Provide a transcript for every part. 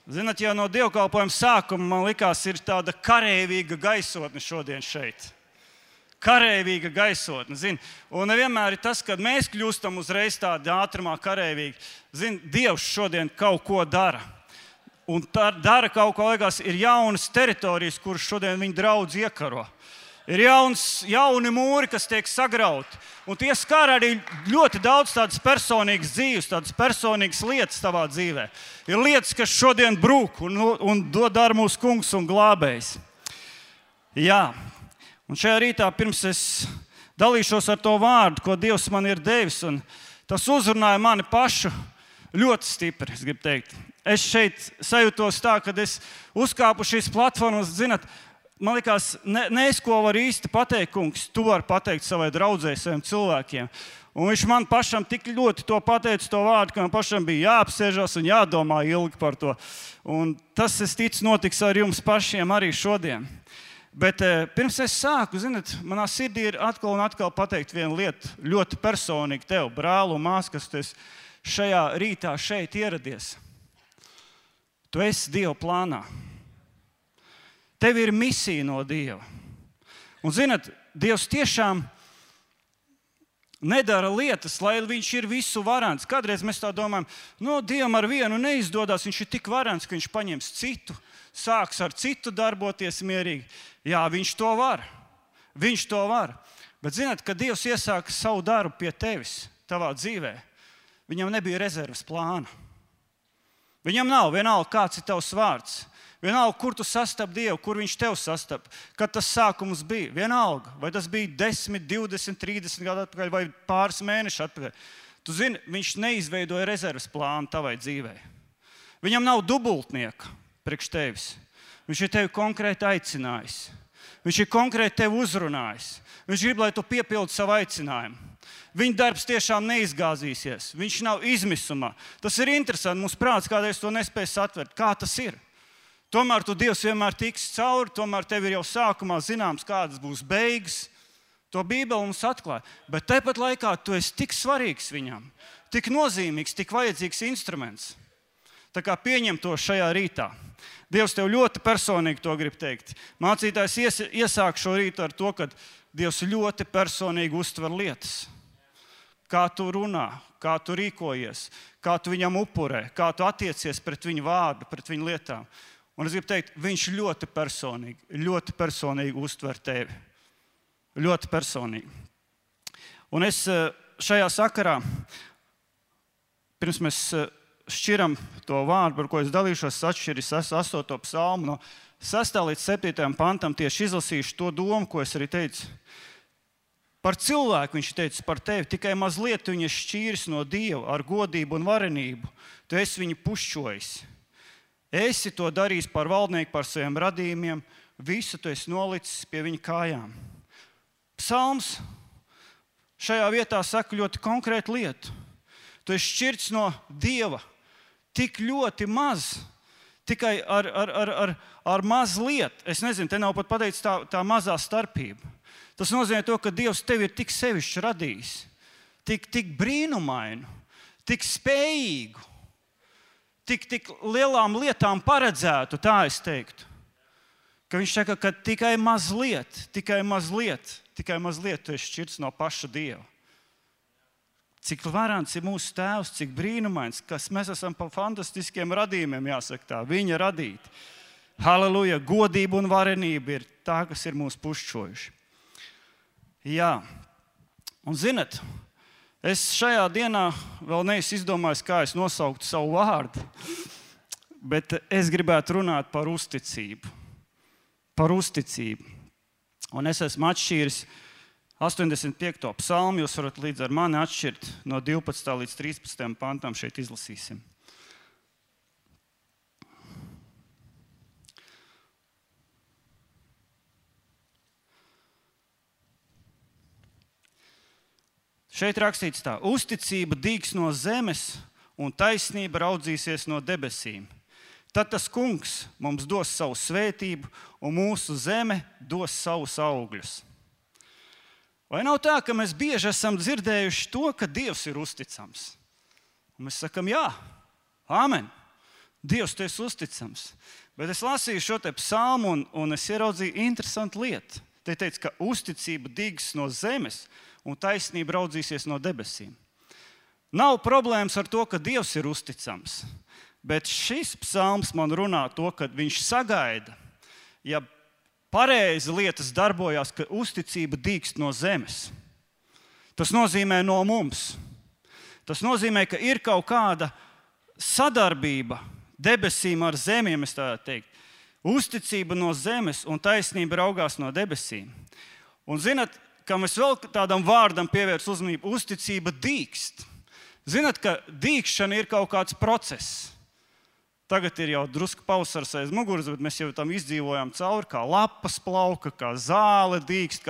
Zināt, jau no dievkalpojuma sākuma man likās, ir tāda kareivīga gaisotne šodien šeit. Kareivīga gaisotne, zini. Un nevienmēr ir tas, kad mēs kļūstam uzreiz tādi ātrumā kareivīgi. Zini, Dievs šodien kaut ko dara. Un dara kaut ko, liekas, ir jaunas teritorijas, kuras šodien viņa draudz iekaro. Ir jauni mūri, kas tiek sagrauti. Un tie skar arī ļoti daudz tādas personīgas dzīves, tādas personīgas lietas tavā dzīvē. Ir lietas, kas šodien brūk un dara mūsu kungs un glābējs. Jā, un šajā rītā pirms es dalīšos ar to vārdu, ko Dievs man ir devis, un tas uzrunāja mani pašu ļoti stipri, es gribu teikt. Es šeit sajūtos tā, kad es uzkāpu šīs platformas, zināt, man likās, es ko varu īsti pateikt, kungs, tu vari pateikt savai draudzei, saviem cilvēkiem. Un viņš man pašam tik ļoti to pateica, to vārdu, ka man pašam bija jāapsēžas un jādomā ilgi par to. Un tas, es ticu, notiks ar jums pašiem arī šodien. Bet pirms es sāku, zināt, manā sirdī ir atkal un atkal pateikt vienu lietu, ļoti personīgi tev, brāl un mās, kas tu esi šajā rītā šeit ieradies. Tu esi Dieva plānā. Tev ir misija no Dieva. Un, zināt, Dievs tiešām nedara lietas, lai viņš ir visu varants. Kādreiz mēs tā domājam, Dievam ar vienu neizdodas, viņš ir tik varants, ka viņš paņems citu, sāks ar citu darboties mierīgi. Jā, viņš to var. Viņš to var. Bet, zināt, kad Dievs iesāka savu darbu pie tevis, tavā dzīvē, viņam nebija rezerves plāna. Viņam nav vienalga, kāds ir tavs vārds. Vienalga, kur tu sastap Dievu, kur viņš tev sastap, kad tas sākums bija. Vienalga, vai tas bija 10, 20, 30 gadu atpakaļ vai pāris mēneši atpakaļ. Tu zini, viņš neizveidoja rezerves plānu tavai dzīvei. Viņam nav dubultnieka priekš tevis. Viņš ir tevi konkrēti aicinājis. Viņš ir konkrēti tevi uzrunājis. Viņš grib, lai tu piepildi savu aicinājumu. Viņa darbs tiešām neizgāzīsies. Viņš nav izmisumā. Tas ir interesanti. Mums prāts kādreiz to nespēj satvert. Kā tas ir? Tomēr tu Dievs vienmēr tiks cauri, tomēr tev ir jau sākumā zināms, kādas būs beigas. To Bībele mums atklāja. Bet tāpat laikā tu esi tik svarīgs viņam, tik nozīmīgs, tik vajadzīgs instruments. Tā kā pieņem to šajā rītā. Dievs tev ļoti personīgi to grib teikt. Mācītājs iesāk šo rītu ar to, ka Dievs ļoti personīgi uztver lietas. Kā tu runā, kā tu rīkojies, kā tu viņam upurē, kā tu attiecies pret viņu vārdu, pret viņu lietām. Un es gribu teikt, viņš ļoti personīgi uztver tevi. Ļoti personīgi. Un es šajā sakarā, pirms mēs šķiram to vārdu, par ko es dalīšos, atšķiris 8. psalmu no 6. līdz 7. pantam, tieši izlasīšu to domu, ko es arī teicu. Par cilvēku viņš teica, par tevi, tikai mazliet viņa šķīris no Dieva ar godību un varenību. Tu esi viņu pušķojis. Esi to darījis par valdnieku, par saviem radījumiem, visu tu esi nolicis pie viņa kājām. Psalms šajā vietā saka ļoti konkrētu lietu. Tu esi šķirts no Dieva tik ļoti maz, tikai ar maz lietu. Es nezinu, te nav pat pateicis tā mazā starpība. Tas nozīmē to, ka Dievs tevi ir tik sevišķi radījis, tik brīnumainu, tik spējīgu, tik lielām lietām paredzētu, tā es teiktu. Ka viņš saka, ka tikai mazliet tu esi šķirts no paša Dieva. Cik varants ir mūsu tēvs, cik brīnumains, kas mēs esam pa fantastiskiem radījumiem, jāsaka tā, viņa radīti. Halleluja, godība un varenība ir tā, kas ir mūs pušķojuši. Jā, un zinat, es šajā dienā vēl neesmu izdomājis, kā es nosauktu savu vārdu, bet es gribētu runāt par uzticību. Par uzticību. Un es esmu atšķīris 85. psalmu, jūs varat līdz ar mani atšķirt no 12. līdz 13. pantam, šeit izlasīsim. Šeit rakstīts tā: uzticība dīgs no zemes un taisnība raudzīsies no debesīm. Tad tas kungs mums dos savu svētību un mūsu zeme dos savus augļus. Vai nav tā, ka mēs bieži esam dzirdējuši to, ka Dievs ir uzticams? Un mēs sakam, jā, amen. Dievs, tu esi uzticams. Bet es lasīju šo te psalmu un es ieraudzīju interesantu lietu. Te teica, ka uzticība dīgs no zemes un taisnība raudzīsies no debesīm. Nav problēmas ar to, ka Dievs ir uzticams, bet šis psalms man runā to, ka viņš sagaida, ja pareizi lietas darbojās, ka uzticība dīgst no zemes. Tas nozīmē no mums. Tas nozīmē, ka ir kaut kāda sadarbība debesīm ar zemiem, es tā teiktu. Uzticība no zemes un taisnība raugās no debesīm. Un zinat, kam es vēl tādam vārdam pievērsu uzmanību, uzticība dīkst. Zinat, ka dīkšana ir kaut kāds process. Tagad ir jau drusku pavasars aiz muguras, bet mēs jau tam izdzīvojām cauri, kā lapas plauka, kā zāle dīkst,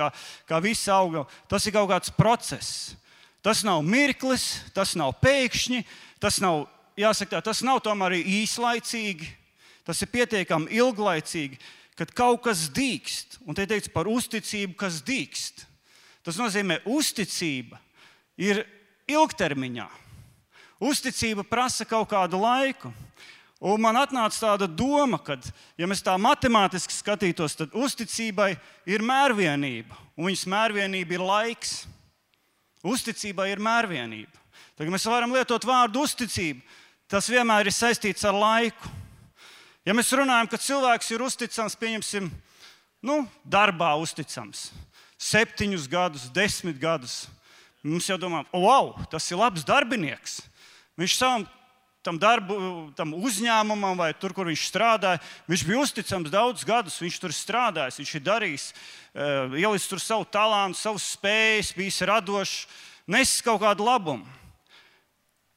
kā visi auga. Tas ir kaut kāds process. Tas nav mirklis, tas nav pēkšņi, tas nav, jāsaka tā, tas nav tomēr arī īslaicīgi, tas ir pietiekami ilglaicīgi, kad kaut kas dīkst. Un te teikts par uzticību, kas dīkst. Tas nozīmē, uzticība ir ilgtermiņā. Uzticība prasa kaut kādu laiku. Un man atnāca tāda doma, ka, ja mēs tā matemātiski skatītos, tad uzticībai ir mērvienība, un viņas mērvienība ir laiks. Uzticībai ir mērvienība. Tagad mēs varam lietot vārdu uzticība, tas vienmēr ir saistīts ar laiku. Ja mēs runājam, ka cilvēks ir uzticams, pieņemsim, darbā uzticams, 7 gadus, 10 gadus, mums jau domā, wow, tas ir labs darbinieks. Viņš tam uzņēmumam vai tur, kur viņš strādāja, viņš bija uzticams daudz gadus, viņš tur strādājis, viņš ir darījis, ielicis tur savu talantu, savus spējas, bijis radošs, nesis kaut kādu labumu.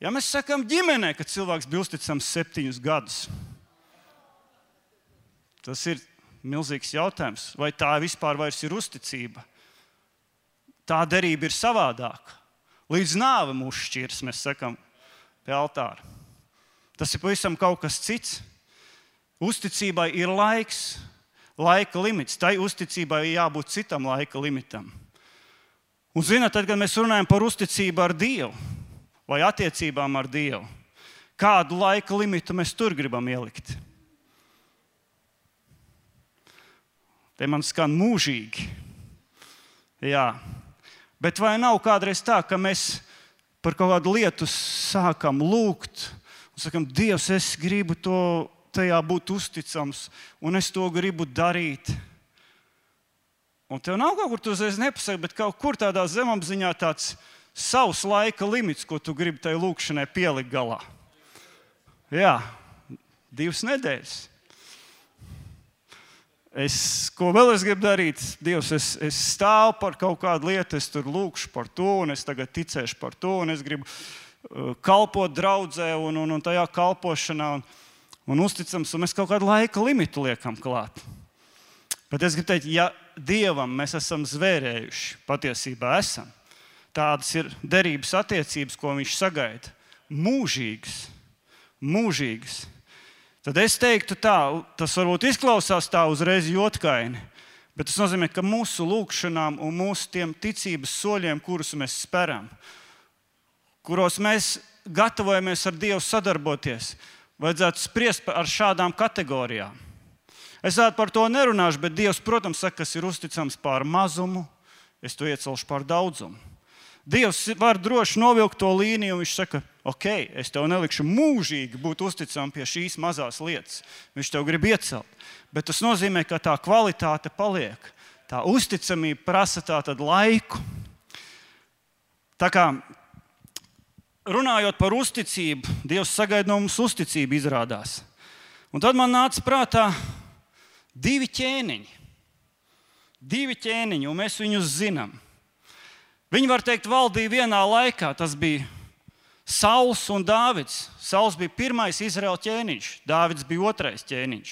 Ja mēs sakām ģimenē, ka cilvēks bija uzticams 7 gadus, tas ir milzīgs jautājums, vai tā vispār vairs ir uzticība. Tā derība ir savādāka. Līdz nāve mūs šķirs, mēs sakām, pie altāra. Tas ir pavisam kaut kas cits. Uzticībai ir laiks, laika limits. Tai uzticībai jābūt citam laika limitam. Un zināt, tad, kad mēs runājam par uzticību ar Dievu vai attiecībām ar Dievu, kādu laika limitu mēs tur gribam ielikt? Te man skan mūžīgi. Jā. Bet vai nav kādreiz tā, ka mēs par kaut kādu lietu sākam lūgt un sakam, Dievs, es gribu tajā būt uzticams un es to gribu darīt. Un tev nav kaut kur tu uzreiz nepasaki, bet kaut kur tādā zemapziņā tāds savs laika limits, ko tu gribi tai lūkšanai pielikt galā. Jā, 2 nedēļas. Ko vēl es gribu darīt? Dievs, es stāvu par kaut kādu lietu, es tur lūkšu par to, un es tagad ticēšu par to, un es gribu kalpot draudzē un tajā kalpošanā, un uzticams, un mēs kaut kādu laika limitu liekam klāt. Bet es gribu teikt, ja Dievam mēs esam zvērējuši, patiesībā esam, tādas ir derības attiecības, ko viņš sagaida, mūžīgas. Tad es teiktu tā, tas varbūt izklausās tā uzreiz jotkaini, bet tas nozīmē, ka mūsu lūkšanām un mūsu tiem ticības soļiem, kurus mēs speram, kuros mēs gatavojamies ar Dievu sadarboties, vajadzētu spriest ar šādām kategorijām. Es par to nerunāšu, bet Dievs, protams, saka, kas ir uzticams pār mazumu, es to iecelšu pār daudzumu. Dievs var droši novilkt to līniju, un viņš saka, ok, es tev nelikšu mūžīgi būt uzticam pie šīs mazās lietas. Viņš tev grib iecelt. Bet tas nozīmē, ka tā kvalitāte paliek. Tā uzticamība prasa tātad laiku. Tā kā runājot par uzticību, Dievs sagaida no mums uzticību izrādās. Un tad man nāca prātā 2 ķēniņi. 2 ķēniņi, un mēs viņus zinām. Viņi, var teikt, valdīja vienā laikā. Tas bija Sauls un Dāvids. Sauls bija pirmais Izraēla ķēniņš, Dāvids bija otrais ķēniņš.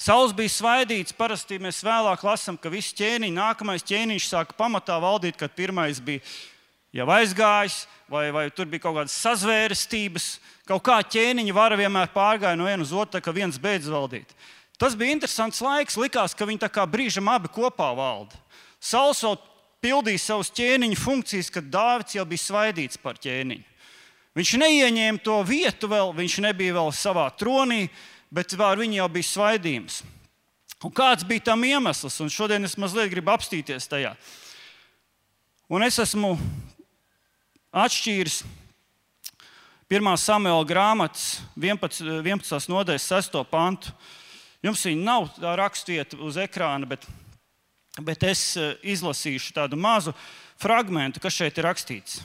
Sauls bija svaidīts, parasti mēs vēlāk lasām, ka visi ķēniņi, nākamais ķēniņš sāka pamatā valdīt, kad pirmais bija jau aizgājis, vai tur bija kaut kādas sazvērestības. Kaut kā ķēniņa vara vienmēr pārgāja no viena uz otru, ka viens beidz valdīt. Tas bija interesants laiks, likās, ka viņi tā kā brīžam abi kopā valda. Sauls vēl pildīja savus ķēniņu funkcijas, kad Dāvids jau bija svaidīts par ķēniņu. Viņš neieņēma to vietu vēl, viņš nebija vēl savā tronī, bet ar viņu jau bija svaidījums. Un kāds bija tam iemesls? Un šodien es mazliet gribu apstīties tajā. Un es esmu atšķīris 1. Samuela grāmatas 11. nodaļas 6. pantu. Jums viņa nav tā rakstvieta uz ekrāna, bet es izlasīšu tādu mazu fragmentu, kas šeit ir rakstīts.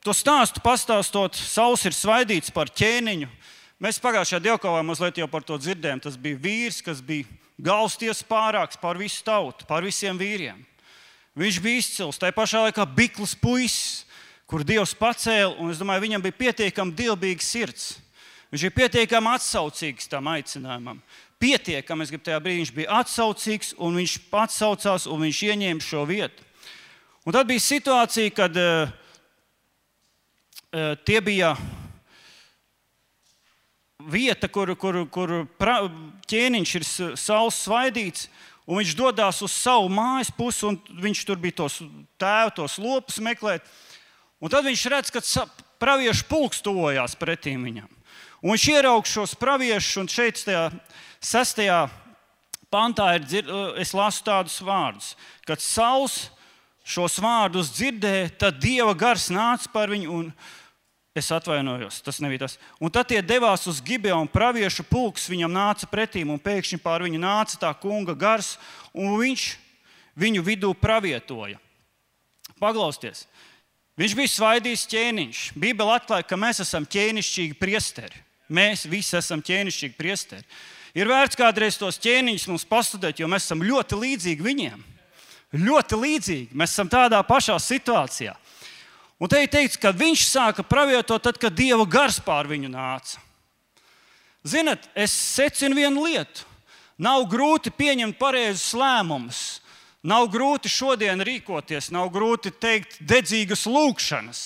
To stāstu pastāstot, Sauls ir svaidīts par ķēniņu. Mēs pagājušajā dievkalpā mazliet jau par to dzirdējām. Tas bija vīrs, kas bija galvstiesas pārāks pār visu tautu, pār visiem vīriem. Viņš bija izcils, tai pašā laikā bikls puisis, kur Dievs pacēla, un es domāju, viņam bija pietiekami dievbīga sirds. Viņš bija pietiekami atsaucīgs tam aicinājumam. Pietiekami, es gribu tajā brīdī, viņš bija atsaucīgs, un viņš atsaucās, un viņš ieņēma šo vietu. Un tad bija situācija, kad tie bija vieta, kur ķēniņš ir Sauls svaidīts, un viņš dodās uz savu mājas pusi, un viņš tur bija tos lopus meklēt. Un tad viņš redz, ka praviešu pulks tuvojās pretīm viņam. Un viņš ieraug šos praviešus, un šeit 6. pantā es lasu tādus vārdus. Kad Sauls šos vārdus dzirdēja, tad Dieva gars nāca par viņu, un es atvainojos, tas nebija tas. Un tad tie devās uz Gibeonu, praviešu pulks viņam nāca pretīm, un pēkšņi pār viņu nāca tā kunga gars, un viņš viņu vidū pravietoja. Paklausieties, viņš bija svaidījis ķēniņš. Bībele atklāja, ka mēs esam ķēnišķīgi priesteri. Mēs visi esam ķēnišķīgi priesteri. Ir vērts kādreiz tos ķēniņus mums pastudēt, jo mēs esam ļoti līdzīgi viņiem. Ļoti līdzīgi. Mēs esam tādā pašā situācijā. Un te ir teikts, ka viņš sāka pravietot tad, kad Dieva gars pār viņu nāca. Zinat, es secinu vienu lietu. Nav grūti pieņemt pareizus lēmumus. Nav grūti šodien rīkoties, nav grūti teikt dedzīgas lūgšanas.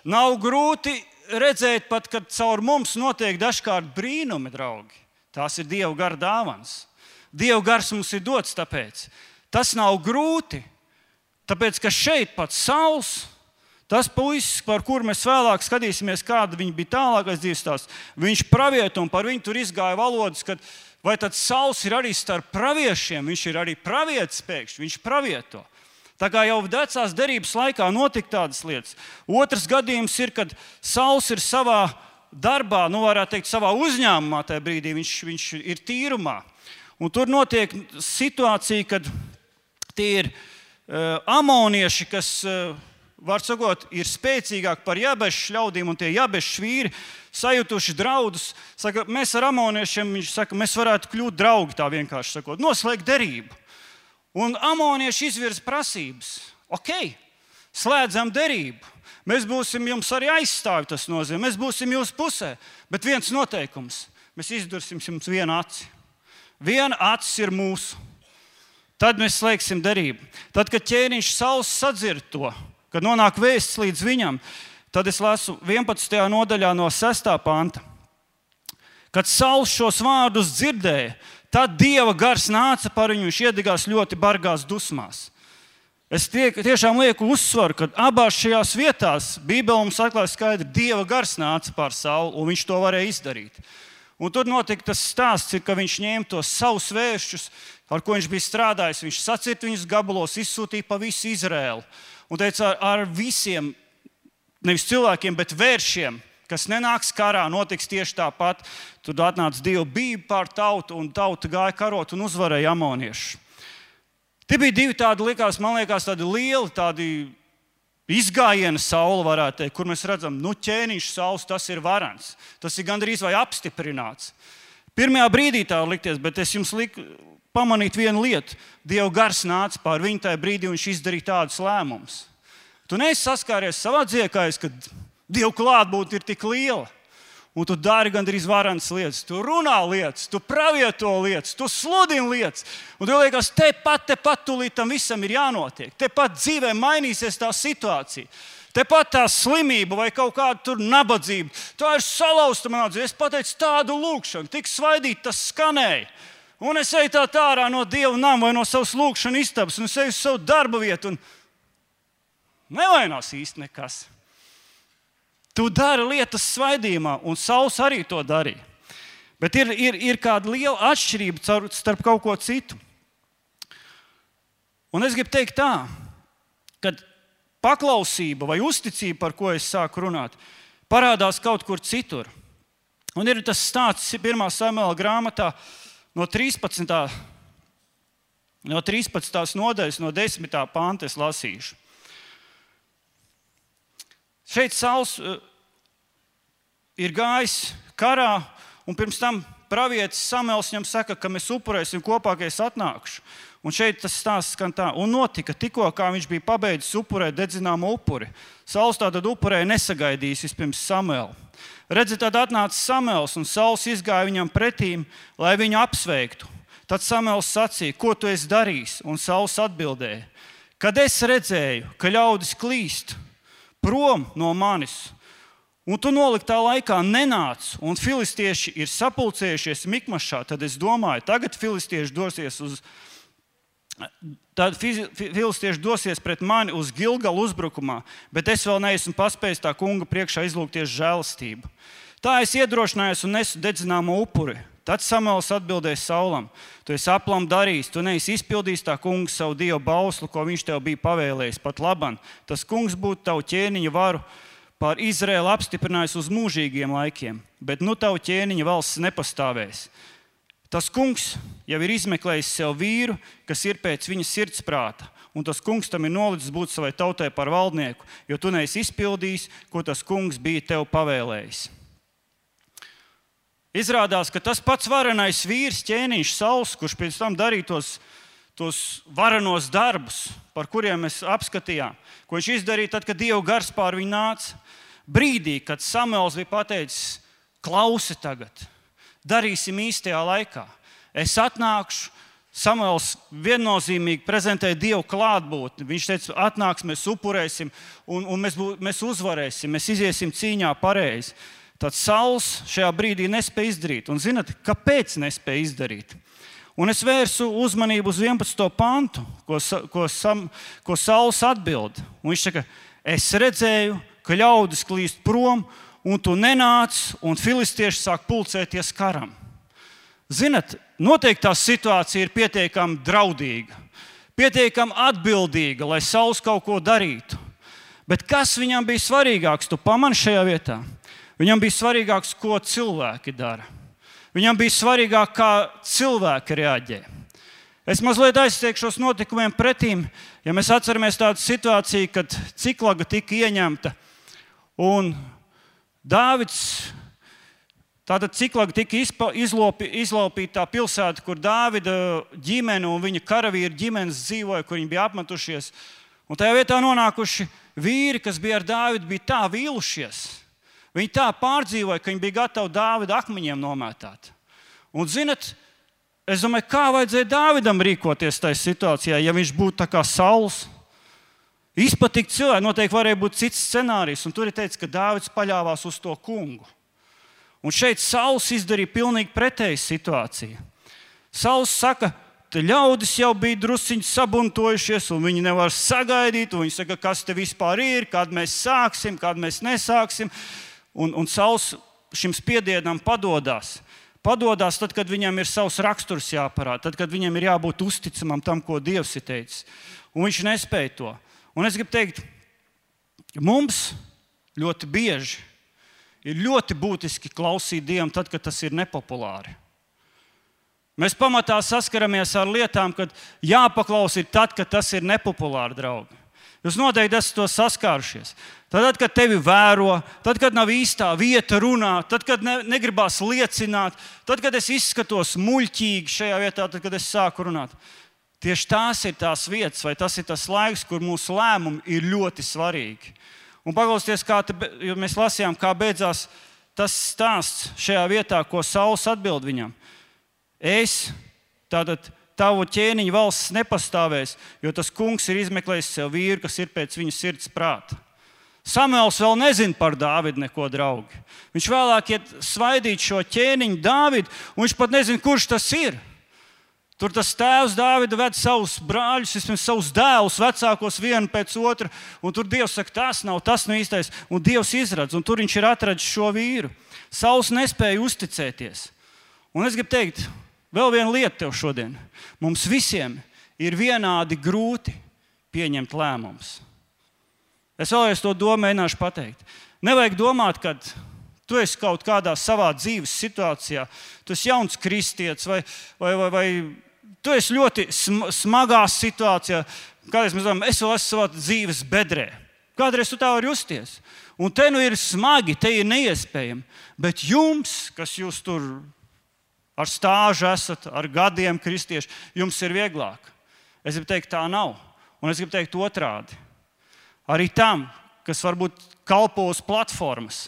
Nav grūti redzēt pat, kad caur mums notiek dažkārt brīnumi, draugi. Tās ir Dieva gara dāvans. Dieva gars mums ir dots tāpēc. Tas nav grūti, tāpēc, ka šeit pats Sauls, tas puisis, par kuru mēs vēlāk skatīsimies, kāda viņa bija tālākais dzīves stāsts, viņš pravieto un par viņu tur izgāja valodas, kad vai tad Sauls ir arī starp praviešiem, viņš ir arī pravietis pēkšņi, viņš pravieto. Tā kā jau vecās derības laikā notika tādas lietas. Otrs gadījums ir, kad Sauls ir savā darbā, varētu teikt, savā uzņēmumā tajā brīdī, viņš ir tīrumā. Un tur notiek situācija, kad tie ir amonieši, kas, var sakot, ir spēcīgāki par jabešu ļaudīm, un tie jabešu vīri sajutuši draudus. Saka, mēs ar amoniešiem, viņš saka, mēs varētu kļūt draugi, tā vienkārši sakot, noslēgt derību. Un amonieši izvirza prasības. Ok, slēdzam derību. Mēs būsim jums arī aizstāvi, tas nozīmē. Mēs būsim jūsu pusē. Bet viens noteikums. Mēs izdursim jums vienu aci. Viena acis ir mūsu. Tad mēs slēgsim derību. Tad, kad ķēniņš Sauls sadzird to, kad nonāk vēsts līdz viņam, tad es lasu 11. nodaļā no 6. panta. Kad Sauls šos vārdus dzirdēja, tad Dieva gars nāca par viņu, viņš iedegās ļoti bargās dusmās. Es tiešām lieku uzsvaru, ka abās šajās vietās Bībele mums atklāja skaidri, Dieva gars nāca pār Saulu, un viņš to varēja izdarīt. Un tur notika tas stāsts, ka viņš ņēma tos savus vēršus, ar ko viņš bija strādājis. Viņš sacirta viņus gabalos, izsūtīja pa visu Izraēlu. Un teica, ar visiem, nevis cilvēkiem, bet vēršiem, kas nenāks karā, notiks tieši tāpat. Tur atnāca Dieva bība pār tautu, un tauta gāja karot un uzvarēja amoniešus. Tie bija divi tādi, man liekas, tādi lieli, tādi izgājieni Saula, varētu teikt, kur mēs redzam, ķēniņš Sauls, tas ir varants. Tas ir gandrīz vai apstiprināts. Pirmajā brīdī tā likties, bet es jums liku pamanīt vienu lietu. Dieva gars nāca pār viņu tajā brīdī, un viņš izdarīja tādus lēmumus. Tu neesi saskāries savā dziekājs, kad Dieva klātbūtne ir tik liela. Un tu dari gandrīz varants lietas, tu runā lietas, tu pravieto lietas, tu sludini lietas. Un tu liekas, tepat tūlīt tam visam ir jānotiek. Tepat dzīvē mainīsies tā situācija. Tepat tā slimība vai kaut kāda tur nabadzība. Tā ir salauzta manā dzīvē. Es pateicu tādu lūgšanu, tik svaidīt tas skanēja. Un es eju tā ārā no Dieva nama vai no savas lūgšana istabas, un es eju uz savu darba vietu, un nevainās īsti nekas. Tu dari lietas svaidījumā, un Sauls arī to darīja. Bet ir kāda liela atšķirība starp kaut ko citu. Un es gribu teikt tā, ka paklausība vai uzticība, par ko es sāku runāt, parādās kaut kur citur. Un ir tas stāsts 1. Samuela grāmatā no 13. nodaļas, no 10. panta es lasīšu. Šeit Sauls ir gājis karā, un pirms tam pravietis Samuels viņam saka, ka mēs upurēsim kopā, ka es atnākšu. Un šeit tas stāsts skan tā. Un notika tikko, kā viņš bija pabeidzis upurēt dedzināmo upuri. Sauls tātad upurēja nesagaidījis vispirms Samuelu. Redzi, tad atnāca Samuels, un Sauls izgāja viņam pretīm, lai viņu apsveiktu. Tad Samuels sacīja, ko tu esi darījis? Un Sauls atbildēja, kad es redzēju, ka ļaudis klīst prom no manis, un tu noliktā laikā nenāc, un filistieši ir sapulcējušies Mikmašā, tad es domāju, tagad filistieši dosies pret mani uz Gilgalu uzbrukumā, bet es vēl neesmu paspējis tā kunga priekšā izlūgties žēlastību. Tā es iedrošinājos un nesu dedzināmo upuri. Tad Samuels atbildēja Saulam, tu esi aplam darījis, tu neesi izpildījis tā kunga savu dievu bauslu, ko viņš tev bija pavēlējis. Pat laban, tas kungs būtu tavu ķēniņa varu pār Izraēlu apstiprinājis uz mūžīgiem laikiem, bet nu tavu ķēniņa valsts nepastāvēs. Tas kungs jau ir izmeklējis sev vīru, kas ir pēc viņa sirdsprāta, un tas kungs tam ir nolicis būt savai tautai par valdnieku, jo tu neesi izpildījis, ko tas kungs bija tev pavēlējis. Izrādās, ka tas pats varenais vīrs, ķēniņš Sauls, kurš pēc tam darīja tos varenos darbus, par kuriem mēs apskatījām, ko viņš izdarīja tad, kad Dieva gars pār viņu nāca, brīdī, kad Samuels bija pateicis, klausi tagad, darīsim īstajā laikā. Es atnākšu, Samuels viennozīmīgi prezentēja Dievu klātbūtni. Viņš teica, atnāks, mēs upurēsim un mēs uzvarēsim, mēs iziesim cīņā pareizi. Tad Sauls šajā brīdī nespēja izdarīt. Un zināt, kāpēc nespēja izdarīt? Un es vērsu uzmanību uz 11. pantu, ko Sauls atbild. Un viņš saka, es redzēju, ka ļaudis klīst prom, un tu nenāc, un filistieši sāk pulcēties karam. Zināt, noteikti tā situācija ir pietiekami draudīga, pietiekami atbildīga, lai Sauls kaut ko darītu. Bet kas viņam bija svarīgāks? Tu pamani šajā vietā? Viņam bija svarīgāks, ko cilvēki dara. Viņam bija svarīgāk, kā cilvēki reaģē. Es mazliet aizsteigšos notikumiem pretīm, ja mēs atceramies tādu situāciju, kad Ciklaga tika ieņemta. Un tātad Ciklaga tika izlaupīta tā pilsēta, kur Dāvida ģimene un viņa karavīru ģimenes dzīvoja, kur viņi bija apmetušies. Un tajā vietā nonākuši vīri, kas bija ar Dāvidu, bija tā vīlušies. Viņi tā pārdzīvoja, ka viņi bija gatavi Dāvida akmeņiem nomētāt. Un zinat, es domāju, kā vajadzēja Dāvidam rīkoties tajā situācijā, ja viņš būtu tā kā Sauls. Izpatikt cilvēki, noteikti varēja būt cits scenārijs, un tur ir teicis, ka Dāvids paļāvās uz to kungu. Un šeit Sauls izdarīja pilnīgi pretēju situāciju. Sauls saka, ka ļaudis jau bija drusciņi sabuntojušies, un viņi nevar sagaidīt, un viņi saka, kas te vispār ir, kad mēs sāksim, kad mēs nesāksim. Un Sauls šim spiedienam padodās. Padodās tad, kad viņam ir savs raksturs jāparāda, tad, kad viņam ir jābūt uzticamam tam, ko Dievs ir teicis. Un viņš nespēja to. Un es gribu teikt, mums ļoti bieži ir ļoti būtiski klausīt Dievam tad, kad tas ir nepopulāri. Mēs pamatā saskaramies ar lietām, kad jāpaklaus ir tad, kad tas ir nepopulāri, draugi. Jūs noteikti esat to saskārušies. Tad, kad tevi vēro, tad, kad nav īstā vieta runāt, tad, kad negribās liecināt, tad, kad es izskatos muļķīgi šajā vietā, tad, kad es sāku runāt. Tieši tās ir tās vietas, vai tas ir tas laiks, kur mūsu lēmumi ir ļoti svarīgi. Un paklausieties, jo mēs lasījām, kā beidzās tas stāsts šajā vietā, ko Sauls atbild viņam. Tātad tavu ķēniņa valsts nepastāvēs, jo tas kungs ir izmeklējis sev vīru, kas ir pēc viņa sirds prāta. Samuels vēl nezina par Dāvidu neko, draugi. Viņš vēlāk iet svaidīt šo ķēniņu Dāvidu, un viņš pat nezina, kurš tas ir. Tur tas tēvs Dāvida ved savus brāļus, vismaz savus dēlus, vecākos vienu pēc otra, un tur Dievs saka, tas nav īstais, un Dievs izradz, un tur viņš ir atradis šo vīru. Sauls nespēja uzticēties. Un es gribu teikt, vēl viena lieta tev šodien. Mums visiem ir vienādi grūti pieņemt lēmumus. Es vēlreiz to mēģināšu pateikt. Nevajag domāt, ka tu esi kaut kādā savā dzīves situācijā, tu esi jauns kristietis vai tu esi ļoti smagā situācijā. Kādreiz mēs domājam, es vēl esmu savā dzīves bedrē. Kādreiz tu tā vari justies. Un te nu ir smagi, te ir neiespējami. Bet jums, kas jūs tur ar stāžu esat, ar gadiem kristieši, jums ir vieglāk. Es gribu teikt, tā nav. Un es gribu teikt otrādi. Arī tam, kas varbūt kalpo uz platformas,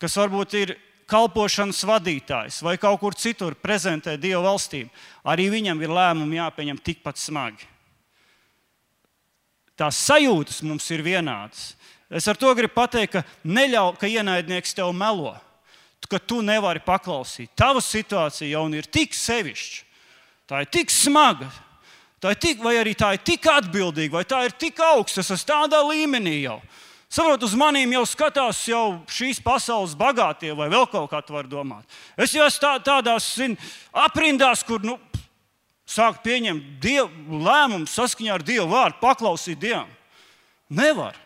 kas varbūt ir kalpošanas vadītājs vai kaut kur citur prezentē Dieva valstību, arī viņam ir lēmumi jāpieņem tikpat smagi. Tās sajūtas mums ir vienādas. Es ar to gribu pateikt, ka neļauj, ka ienaidnieks tev melo, ka tu nevari paklausīt. Tava situācija jau ir tik sevišķa, tā ir tik smaga, vai arī tā ir tik atbildīga, vai tā ir tik augsta, es esmu tādā līmenī jau. Saprot, uz manīm jau skatās šīs pasaules bagātie vai vēl kaut kā tu var domāt. Es jau esmu tādās aprindās, kur sāk pieņemt lēmumu saskaņā ar Dievu vārdu, paklausīt Dievam. Nevar.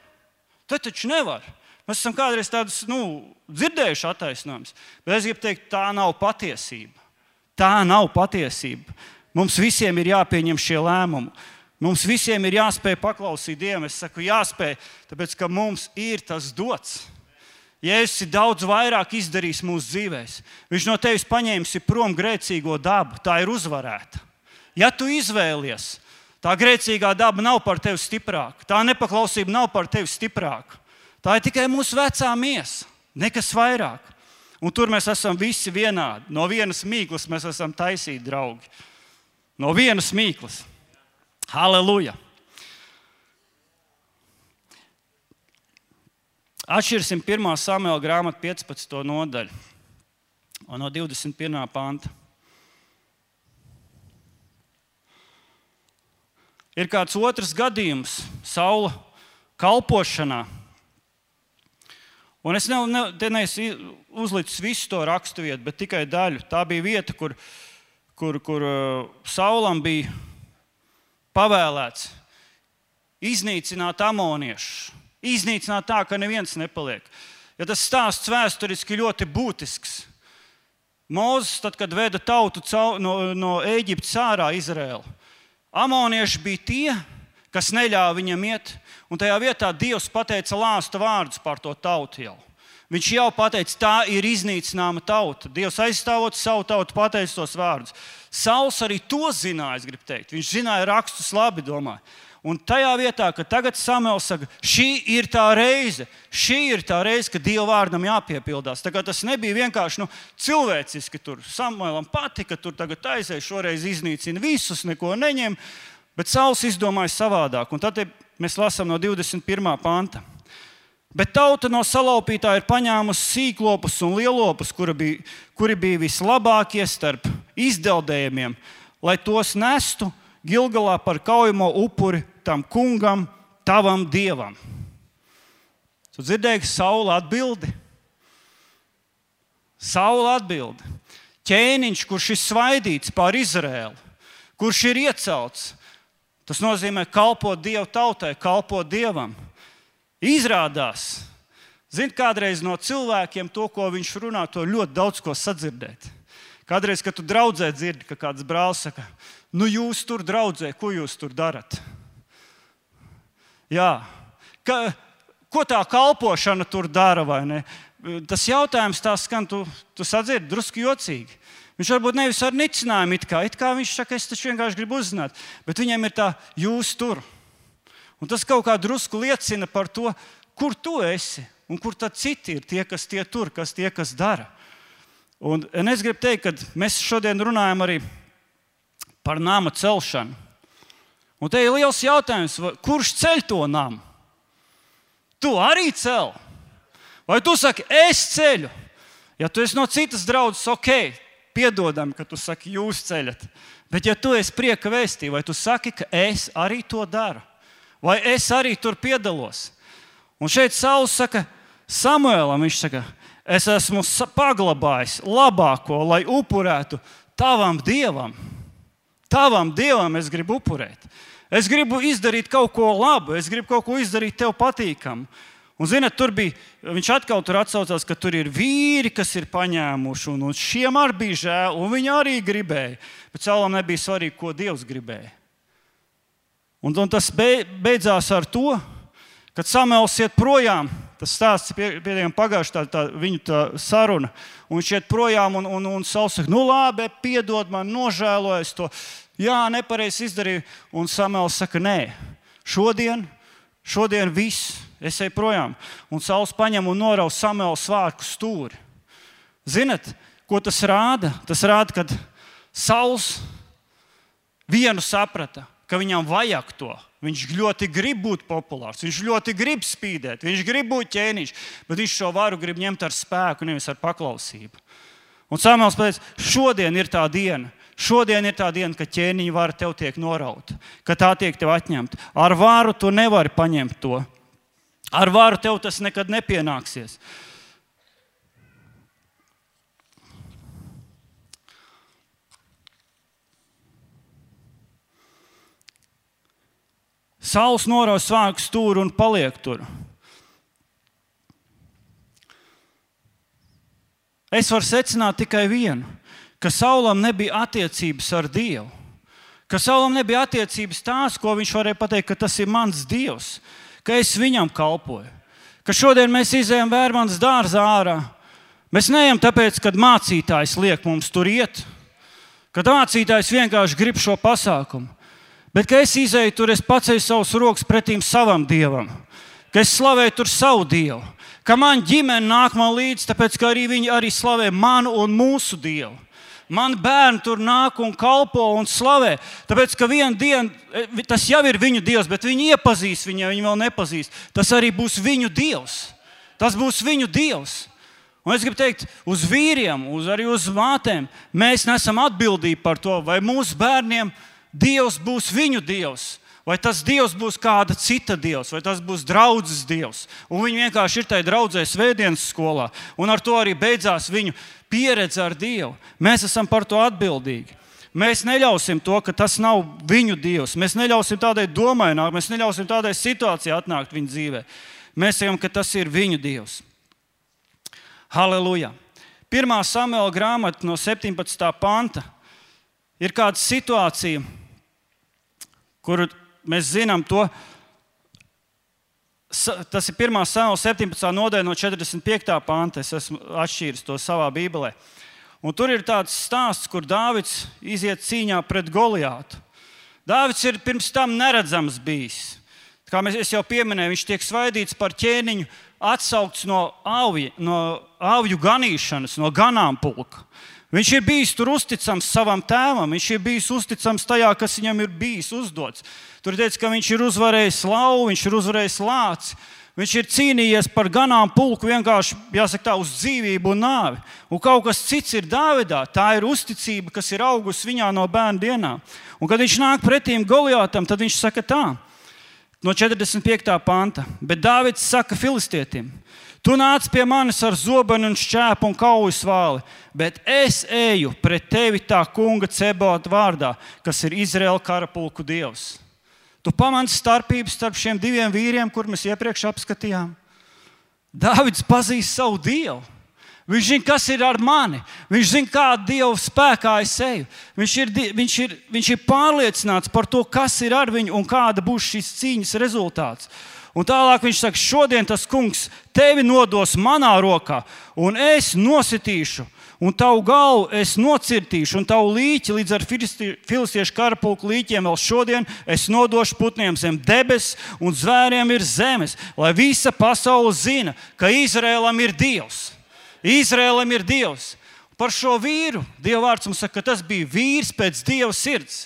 Te taču nevar. Mēs esam kādreiz tādas dzirdējuši attaisnojumus. Bet es gribu teikt, tā nav patiesība. Tā nav patiesība. Mums visiem ir jāpieņem šie lēmumi. Mums visiem ir jāspēj paklausīt Dievam. Es saku jāspēj, tāpēc, ka mums ir tas dots. Jēzus ir daudz vairāk izdarījis mūsu dzīvēs. Viņš no tevis paņēmis prom grēcīgo dabu. Tā ir uzvarēta. Ja tu izvēlies, tā grēcīgā daba nav par tevi stiprāka. Tā nepaklausība nav par tevi stiprāka. Tā ir tikai mūsu vecā miesa. Nekas vairāk. Un tur mēs esam visi vienādi. No vienas mīklas mēs esam taisīti draugi. No vienas mīklas. Halleluja! Atšķirsim 1. Samuela grāmatu 15. nodaļu un no 21. panta. Ir kāds otrs gadījums Saula kalpošanā. Un es neesmu uzlicis visu to raksturvietu, bet tikai daļu. Tā bija vieta, kur Saulam bija pavēlēts iznīcināt amoniešus. Iznīcināt tā, ka neviens nepaliek. Ja tas stāsts vēsturiski ļoti būtisks. Mūzes, tad, kad veda tautu no Ēģiptes ārā Izraēlu, amonieši bija tie, kas neļāva viņam iet, un tajā vietā Dievs pateica lāsta vārdus par to tautu jau. Viņš jau pateica, tā ir iznīcināma tauta. Dievs aizstāvot savu tautu, pateica tos vārdus. Sauls arī to zināja, es gribu teikt. Viņš zināja rakstus labi, domāju. Un tajā vietā, ka tagad Samuels saka, šī ir tā reize, ka Dieva vārdam jāpiepildās. Tā kā tas nebija vienkārši cilvēciski, tur Samuelam patika, tur tagad taisēja, šoreiz iznīcina visus, neko neņem, bet Sauls izdomāja savādāk. Un tad mēs lasām no 21. panta. Bet tauta no salaupītā ir paņēmusi sīklopus un lielopus, kuri bija vislabākie starp izdeldējumiem, lai tos nestu Gilgalā par kaujamo upuri tam kungam, tavam dievam. Tu dzirdēji Saula atbildi? Saula atbildi. Ķēniņš, kurš ir svaidīts pār Izraēlu, kurš ir iecelts, tas nozīmē kalpot Dievu tautai, kalpot Dievam. Izrādās, kādreiz no cilvēkiem to, ko viņš runā, to ļoti daudz ko sadzirdēt. Kādreiz, kad tu draudzē dzirdi, ka kāds brālis saka, jūs tur draudzē, ko jūs tur darat? Jā, ko tā kalpošana tur dara, vai ne? Tas jautājums tā skan, tu sadzirdi drusku jocīgi. Viņš varbūt nevis ar nicinājumu, it kā viņš saka, es taču vienkārši gribu uzzināt, bet viņam ir tā, jūs tur. Un tas kaut kā drusku liecina par to, kur tu esi un kur tad citi ir tie, kas dara. Un es gribu teikt, ka mēs šodien runājam arī par nama celšanu. Un te ir liels jautājums, kurš ceļ to namu? Tu arī cel? Vai tu saki, es ceļu? Ja tu esi no citas draudzes, ok, piedodami, ka tu saki, jūs ceļat. Bet ja tu esi prieka vēstī, vai tu saki, ka es arī to daru? Vai es arī tur piedalos? Un šeit Sauls saka Samuēlam, viņš saka, es esmu paglabājis labāko, lai upurētu tavam Dievam. Tavam Dievam es gribu upurēt. Es gribu izdarīt kaut ko labu, es gribu kaut ko izdarīt tev patīkamu. Un, zināt, viņš atkal tur atsaucās, ka tur ir vīri, kas ir paņēmuši, un šiem arī bija žēl, un viņi arī gribēja. Bet Saulam nebija svarīgi, ko Dievs gribēja. Un tas beidzās ar to, kad Samuēls iet projām. Tas stāsts pietiekami pagājuši viņu saruna. Un viņš iet projām, un Sauls saka, labi, piedod man, nožēlojies to. Jā, nepareizi izdarīju. Un Samuēls saka, nē, šodien viss, es eju projām. Un Sauls paņem un norauj Samuēla svārku stūri. Zinat, ko tas rāda? Tas rāda, kad Sauls vienu saprata, ka viņam vajag to. Viņš ļoti grib būt populārs, viņš ļoti grib spīdēt, viņš grib būt ķēniņš, bet viņš šo varu grib ņemt ar spēku, nevis ar paklausību. Un Samuēls pateica, šodien ir tā diena, ka ķēniņa vara tev tiek norauta, ka tā tiek tev atņemta. Ar varu tu nevari paņemt to. Ar varu tev tas nekad nepienāksies. Sauls norauj svārku stūri un paliek tur. Es varu secināt tikai vienu, ka Saulam nebija attiecības ar Dievu. Ka Saulam nebija attiecības tās, ko viņš varēja pateikt, ka tas ir mans Dievs, ka es viņam kalpoju. Ka šodien mēs izejam Vērmanas dārzā ārā. Mēs neejam tāpēc, kad mācītājs liek mums tur iet, kad mācītājs vienkārši grib šo pasākumu. Bet, kad es izēju tur, es paceļu savus rokas pretīm savam Dievam, ka es slavēju tur savu Dievu, ka man ģimene nāk man līdzi, tāpēc, ka arī viņi arī slavē manu un mūsu Dievu. Man bērni tur nāk un kalpo un slavē, tāpēc, ka vienu dienu, tas jau ir viņu Dievs, bet viņi iepazīs viņu, ja viņi vēl nepazīst. Tas arī būs viņu Dievs. Tas būs viņu Dievs. Un es gribu teikt, uz vīriem, arī uz mātēm, mēs nesam atbildīgi par to, vai mūsu bērniem Dievs būs viņu Dievs, vai tas Dievs būs kāda cita Dievs, vai tas būs draudzes Dievs. Un viņi vienkārši ir tajā draudzē svētdienas skolā. Un ar to arī beidzās viņu pieredze ar Dievu. Mēs esam par to atbildīgi. Mēs neļausim to, ka tas nav viņu Dievs. Mēs neļausim tādai domai nākt, mēs neļausim tādai situācijai atnākt viņu dzīvē. Mēs sakām, ka tas ir viņu Dievs. Halleluja! 1. Samuēla grāmata no 17. panta ir kāda situācija, kuru mēs zinām to, tas ir 1. Samuēla 17. nodaļa no 45. panta, es esmu atšķīris to savā bībelē. Un tur ir tāds stāsts, kur Dāvids iziet cīņā pret Goliātu. Dāvids ir pirms tam neredzams bijis. Kā es jau pieminēju, viņš tiek svaidīts par ķēniņu, atsaukts no avju ganīšanas, no ganāmpulka. Viņš ir bijis tur uzticams savam tēvam, viņš ir bijis uzticams tajā, kas viņam ir bijis uzdots. Tur teica, ka viņš ir uzvarējis lauvu, viņš ir uzvarējis lāci, viņš ir cīnījies par ganāmpulku vienkārši, jāsaka tā, uz dzīvību un nāvi. Un kaut kas cits ir Dāvidā, tā ir uzticība, kas ir augusi viņā no bērnu dienām. Un kad viņš nāk pretīm Goliātam, tad viņš saka tā, no 45. panta, bet Dāvids saka filistietim, tu nāc pie manis ar zobenu un šķēpu un kaujas vāli, bet es eju pret tevi tā kunga Cebota vārdā, kas ir Izraēla karapulku Dievs. Tu pamani starpības starp šiem diviem vīriem, kur mēs iepriekš apskatījām. Dāvids pazīst savu Dievu. Viņš zina, kas ir ar mani. Viņš zina, kādu Dievu spēkā es eju. Viņš ir pārliecināts par to, kas ir ar viņu un kāda būs šīs cīņas rezultāts. Un tālāk viņš saka, šodien tas kungs tevi nodos manā rokā, un es nositīšu, un tavu galvu es nocirtīšu, un tavu līķi līdz ar filistiešu karapulku līķiem vēl šodien es nodošu putniem zem debes, un zvēriem ir zemes, lai visa pasaule zina, ka Izrēlam ir Dievs. Izrēlam ir Dievs. Par šo vīru Dieva vārds mums saka, ka tas bija vīrs pēc Dieva sirds.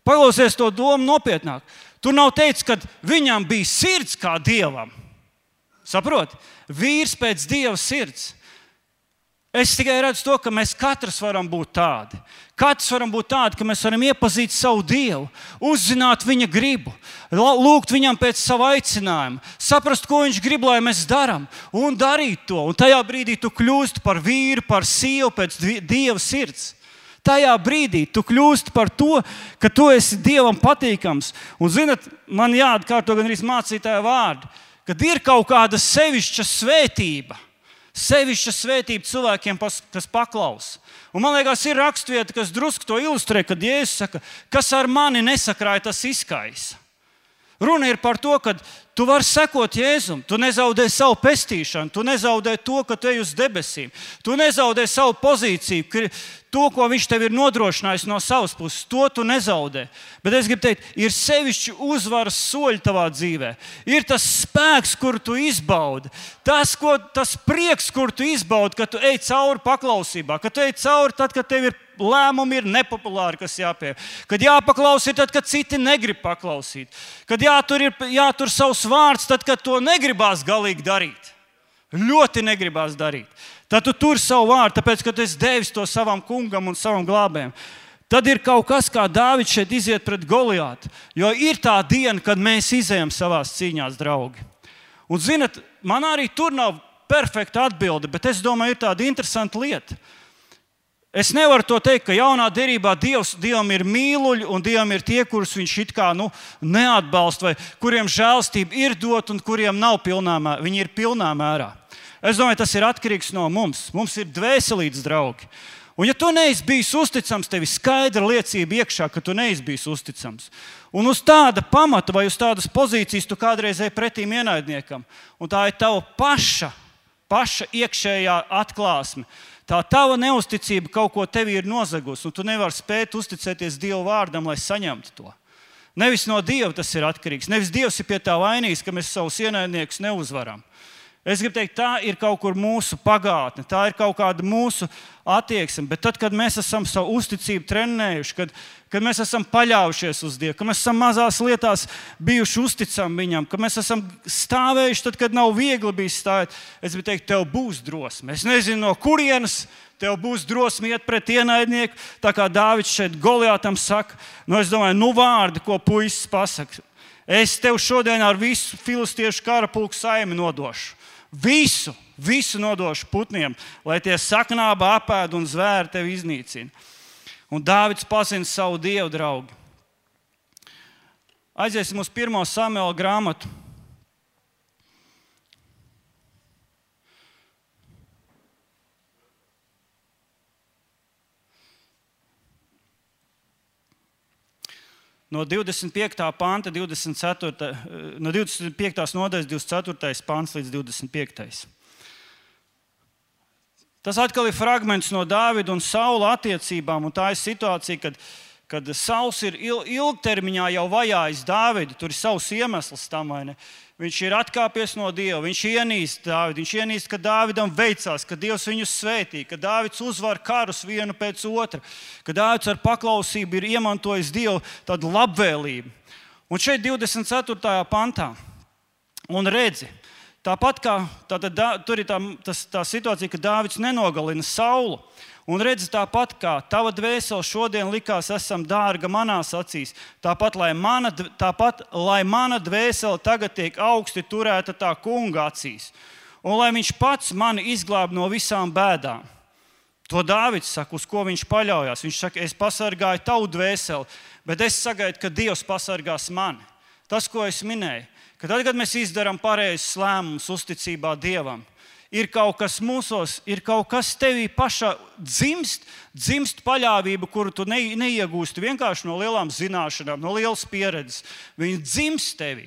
Paklausies to domu nopietnāk. Tur nav teicis, ka viņam bija sirds kā Dievam. Saproti? Vīrs pēc Dieva sirds. Es tikai redzu to, ka mēs katrs varam būt tādi. Katrs varam būt tādi, ka mēs varam iepazīt savu Dievu, uzzināt viņa gribu, lūgt viņam pēc sava aicinājuma, saprast, ko viņš grib, lai mēs darām, un darīt to. Un tajā brīdī tu kļūsti par vīru, par sievu pēc Dieva sirds. Tajā brīdī tu kļūsti par to, ka tu esi Dievam patīkams. Un, zinat, man jāatkārto gan arī mācītāja vārdi, kad ir kaut kāda sevišķa svētība. Sevišķa svētība cilvēkiem, kas paklausa. Un man liekas, ir rakstvieta, kas drusku to ilustrē, kad Jēzus saka, kas ar mani nesakrāja, tas izkaisa. Runa ir par to, ka tu vari sekot Jēzum, tu nezaudē savu pestīšanu, tu nezaudē to, ka tu ej uz debesīm, tu nezaudē savu pozīciju, to, ko viņš tev ir nodrošinājis no savas puses, to tu nezaudē. Bet es gribu teikt, ir sevišķi uzvaras soļi tavā dzīvē. Ir tas spēks, kur tu izbaudi, tas prieks, kur tu izbaudi, kad tu ej cauri paklausībā, kad tu ej cauri tad, kad tev ir lēmumi ir nepopulāri, kas jāpieņem. Kad jāpaklausīt, tad, kad citi negrib paklausīt. Kad jātur savs vārds, tad, kad to negribās galīgi darīt. Ļoti negribās darīt. Tad tu tur savu vārdu, tāpēc, ka tu esi devis to savam kungam un savam glābējam. Tad ir kaut kas, kā Dāvids šeit iziet pret Goliātu. Jo ir tā diena, kad mēs izejam savās cīņās, draugi. Un, zinat, man arī tur nav perfekta atbilde, bet es domāju, ir tāda interesanta lieta. Es nevaru to teikt, ka jaunā derībā Dievam ir mīluļi un Dievam ir tie, kurus viņš it kā neatbalsta, vai kuriem žēlstība ir dot un kuriem nav pilnā mērā. Viņi ir pilnā mērā. Es domāju, tas ir atkarīgs no mums. Mums ir dvēselītes draugi. Un ja tu neesi bijis uzticams, tev ir skaidra liecība iekšā, ka tu neesi bijis uzticams. Un uz tāda pamata vai uz tādas pozīcijas tu kādreiz ej pretīm ienaidniekam. Un tā ir tava paša iekšējā atklāsme. Tā tava neusticība kaut ko tevi ir nozagusi, un tu nevari spēt uzticēties Dieva vārdam, lai saņemtu to. Nevis no Dieva tas ir atkarīgs. Nevis Dievs ir pie tā vainīgs, ka mēs savus ienaidniekus neuzvaram. Es gribu teikt, tā ir kaut kur mūsu pagātne, tā ir kaut kāda mūsu attieksme. Bet tad, kad mēs esam savu uzticību trenējuši, kad mēs esam paļaujušies uz Dievu, ka mēs esam mazās lietās bijuši uzticami viņam, ka mēs esam stāvējuši tad, kad nav viegli bijis stāvēt, es gribu teikt, tev būs drosme. Es nezinu, no kurienes tev būs drosme iet pret ienaidnieku, tā kā Dāvids šeit Goliātam saka. Es domāju, vārdi, ko puisis pasaka. Es tev šodien ar visu filistiešu karapulku saimi nodošu. Visu nodošu putniem, lai tie saknāba apēd un zvēri tevi iznīcina. Un Dāvids pazina savu Dievu, draugi. Aiziesim uz 1. Samuela grāmatu. No 25. panta, 24. No 25. nodaļas 24. pants līdz 25. Tas atkal ir fragments no Dāvida un Saula attiecībām, un tā ir situācija, kad Sauls ir ilgtermiņā jau vajājis Dāvidu. Tur ir savs iemesls tam, vai ne? Viņš ir atkāpies no Dieva, viņš ienīst Dāvidu, viņš ienīst, ka Dāvidam veicās, ka Dievs viņu svētī, ka Dāvids uzvar karus vienu pēc otra, ka Dāvids ar paklausību ir iemantojis Dievu tādu labvēlību. Un šeit 24. pantā, un redzi, tāpat kā tur ir tā situācija, ka Dāvids nenogalina Saulu. Un redzi, tāpat kā tava dvēsele šodien likās esam dārga manās acīs, tāpat, lai mana dvēsele tagad tiek augsti turēta tā kunga acīs, un lai viņš pats mani izglāb no visām bēdām. To Dāvids saka, uz ko viņš paļaujās. Viņš saka, es pasargāju tavu dvēseli, bet es sagaidu, ka Dievs pasargās mani. Tas, ko es minēju, ka tad, kad mēs izdarām pareizus lēmumus uzticībā Dievam, ir kaut kas mūsos, ir kaut kas tevī pašā dzimst paļāvība, kuru tu neiegūsti vienkārši no lielām zināšanām, no lielas pieredzes. Viņa dzimst tevī.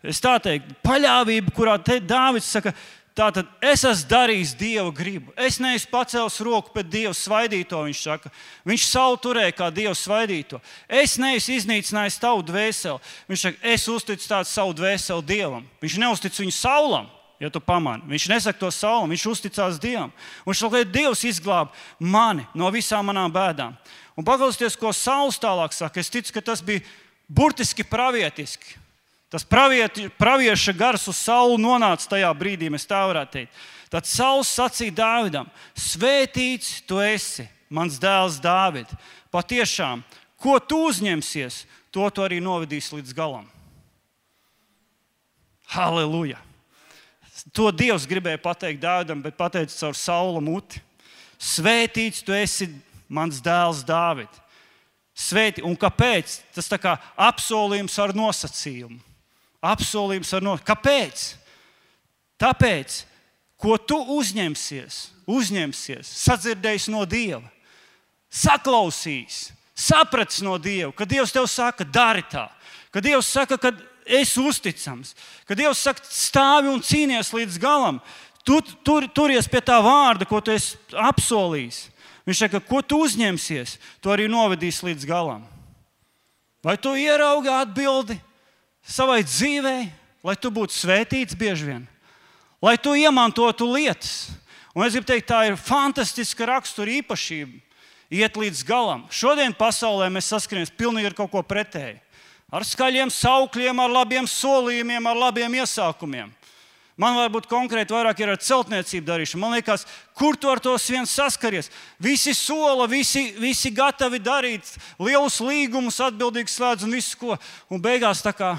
Es tā teiktu, paļāvība, kurā Dāvids saka, tātad es esmu darījis Dieva gribu. Es neesmu pacēlis roku pret Dievu svaidīto, viņš saka. Viņš Saulu turēja kā Dievu svaidīto. Es neesmu iznīcinājis tavu dvēseli. Viņš saka, es uzticu tādu savu dvēseli Dievam. Viņš neuztic viņu Saulam. Ja tu pamani. Viņš nesaka to Saulam, viņš uzticās Dievam. Un viņš saka, Dievs izglāb mani no visām manām bēdām. Un paklausieties, ko Sauls tālāk saka. Es ticu, ka tas bija burtiski pravietiski. Tas pravieša gars uz Saulu nonāca tajā brīdī, mēs tā varētu teikt. Tad Sauls sacīja Dāvidam: svētīts tu esi, mans dēls Dāvid. Patiešām, ko tu uzņemsies, to tu arī novedīsi līdz galam. Halleluja! To Dievs gribēja pateikt Dāvidam, bet pateica caur Saula muti. Svētīts tu esi, mans dēls Dāvid. Svētī. Un kāpēc? Tas tā kā apsolījums ar nosacījumu. Kāpēc? Tāpēc, ko tu uzņemsies, sadzirdējis no Dieva, saklausījis, sapratis no Dieva, ka Dievs tev saka, dari tā, ka Dievs saka, ka esi uzticams, ka Dievs saka, stāvi un cīnies līdz galam, turies pie tā vārda, ko tu esi apsolījis. Viņš saka, ko tu uzņemsies, to arī novedīs līdz galam. Vai tu ieraugi atbildi savai dzīvei, lai tu būtu svētīts bieži vien? Lai tu iemantotu lietas. Un es gribu teikt, tā ir fantastiska rakstura īpašība. Iet līdz galam. Šodien pasaulē mēs saskaramies pilnīgi ar kaut ko pretēju. Ar skaļiem saukļiem, ar labiem solījumiem, ar labiem iesākumiem. Man varbūt konkrēti vairāk ir ar celtniecību darīšanu. Man liekas, kur tu ar to vien saskaries? Visi sola, visi gatavi darīt lielus līgumus, atbildīgi slēdz un visu ko. Un beigās tā kā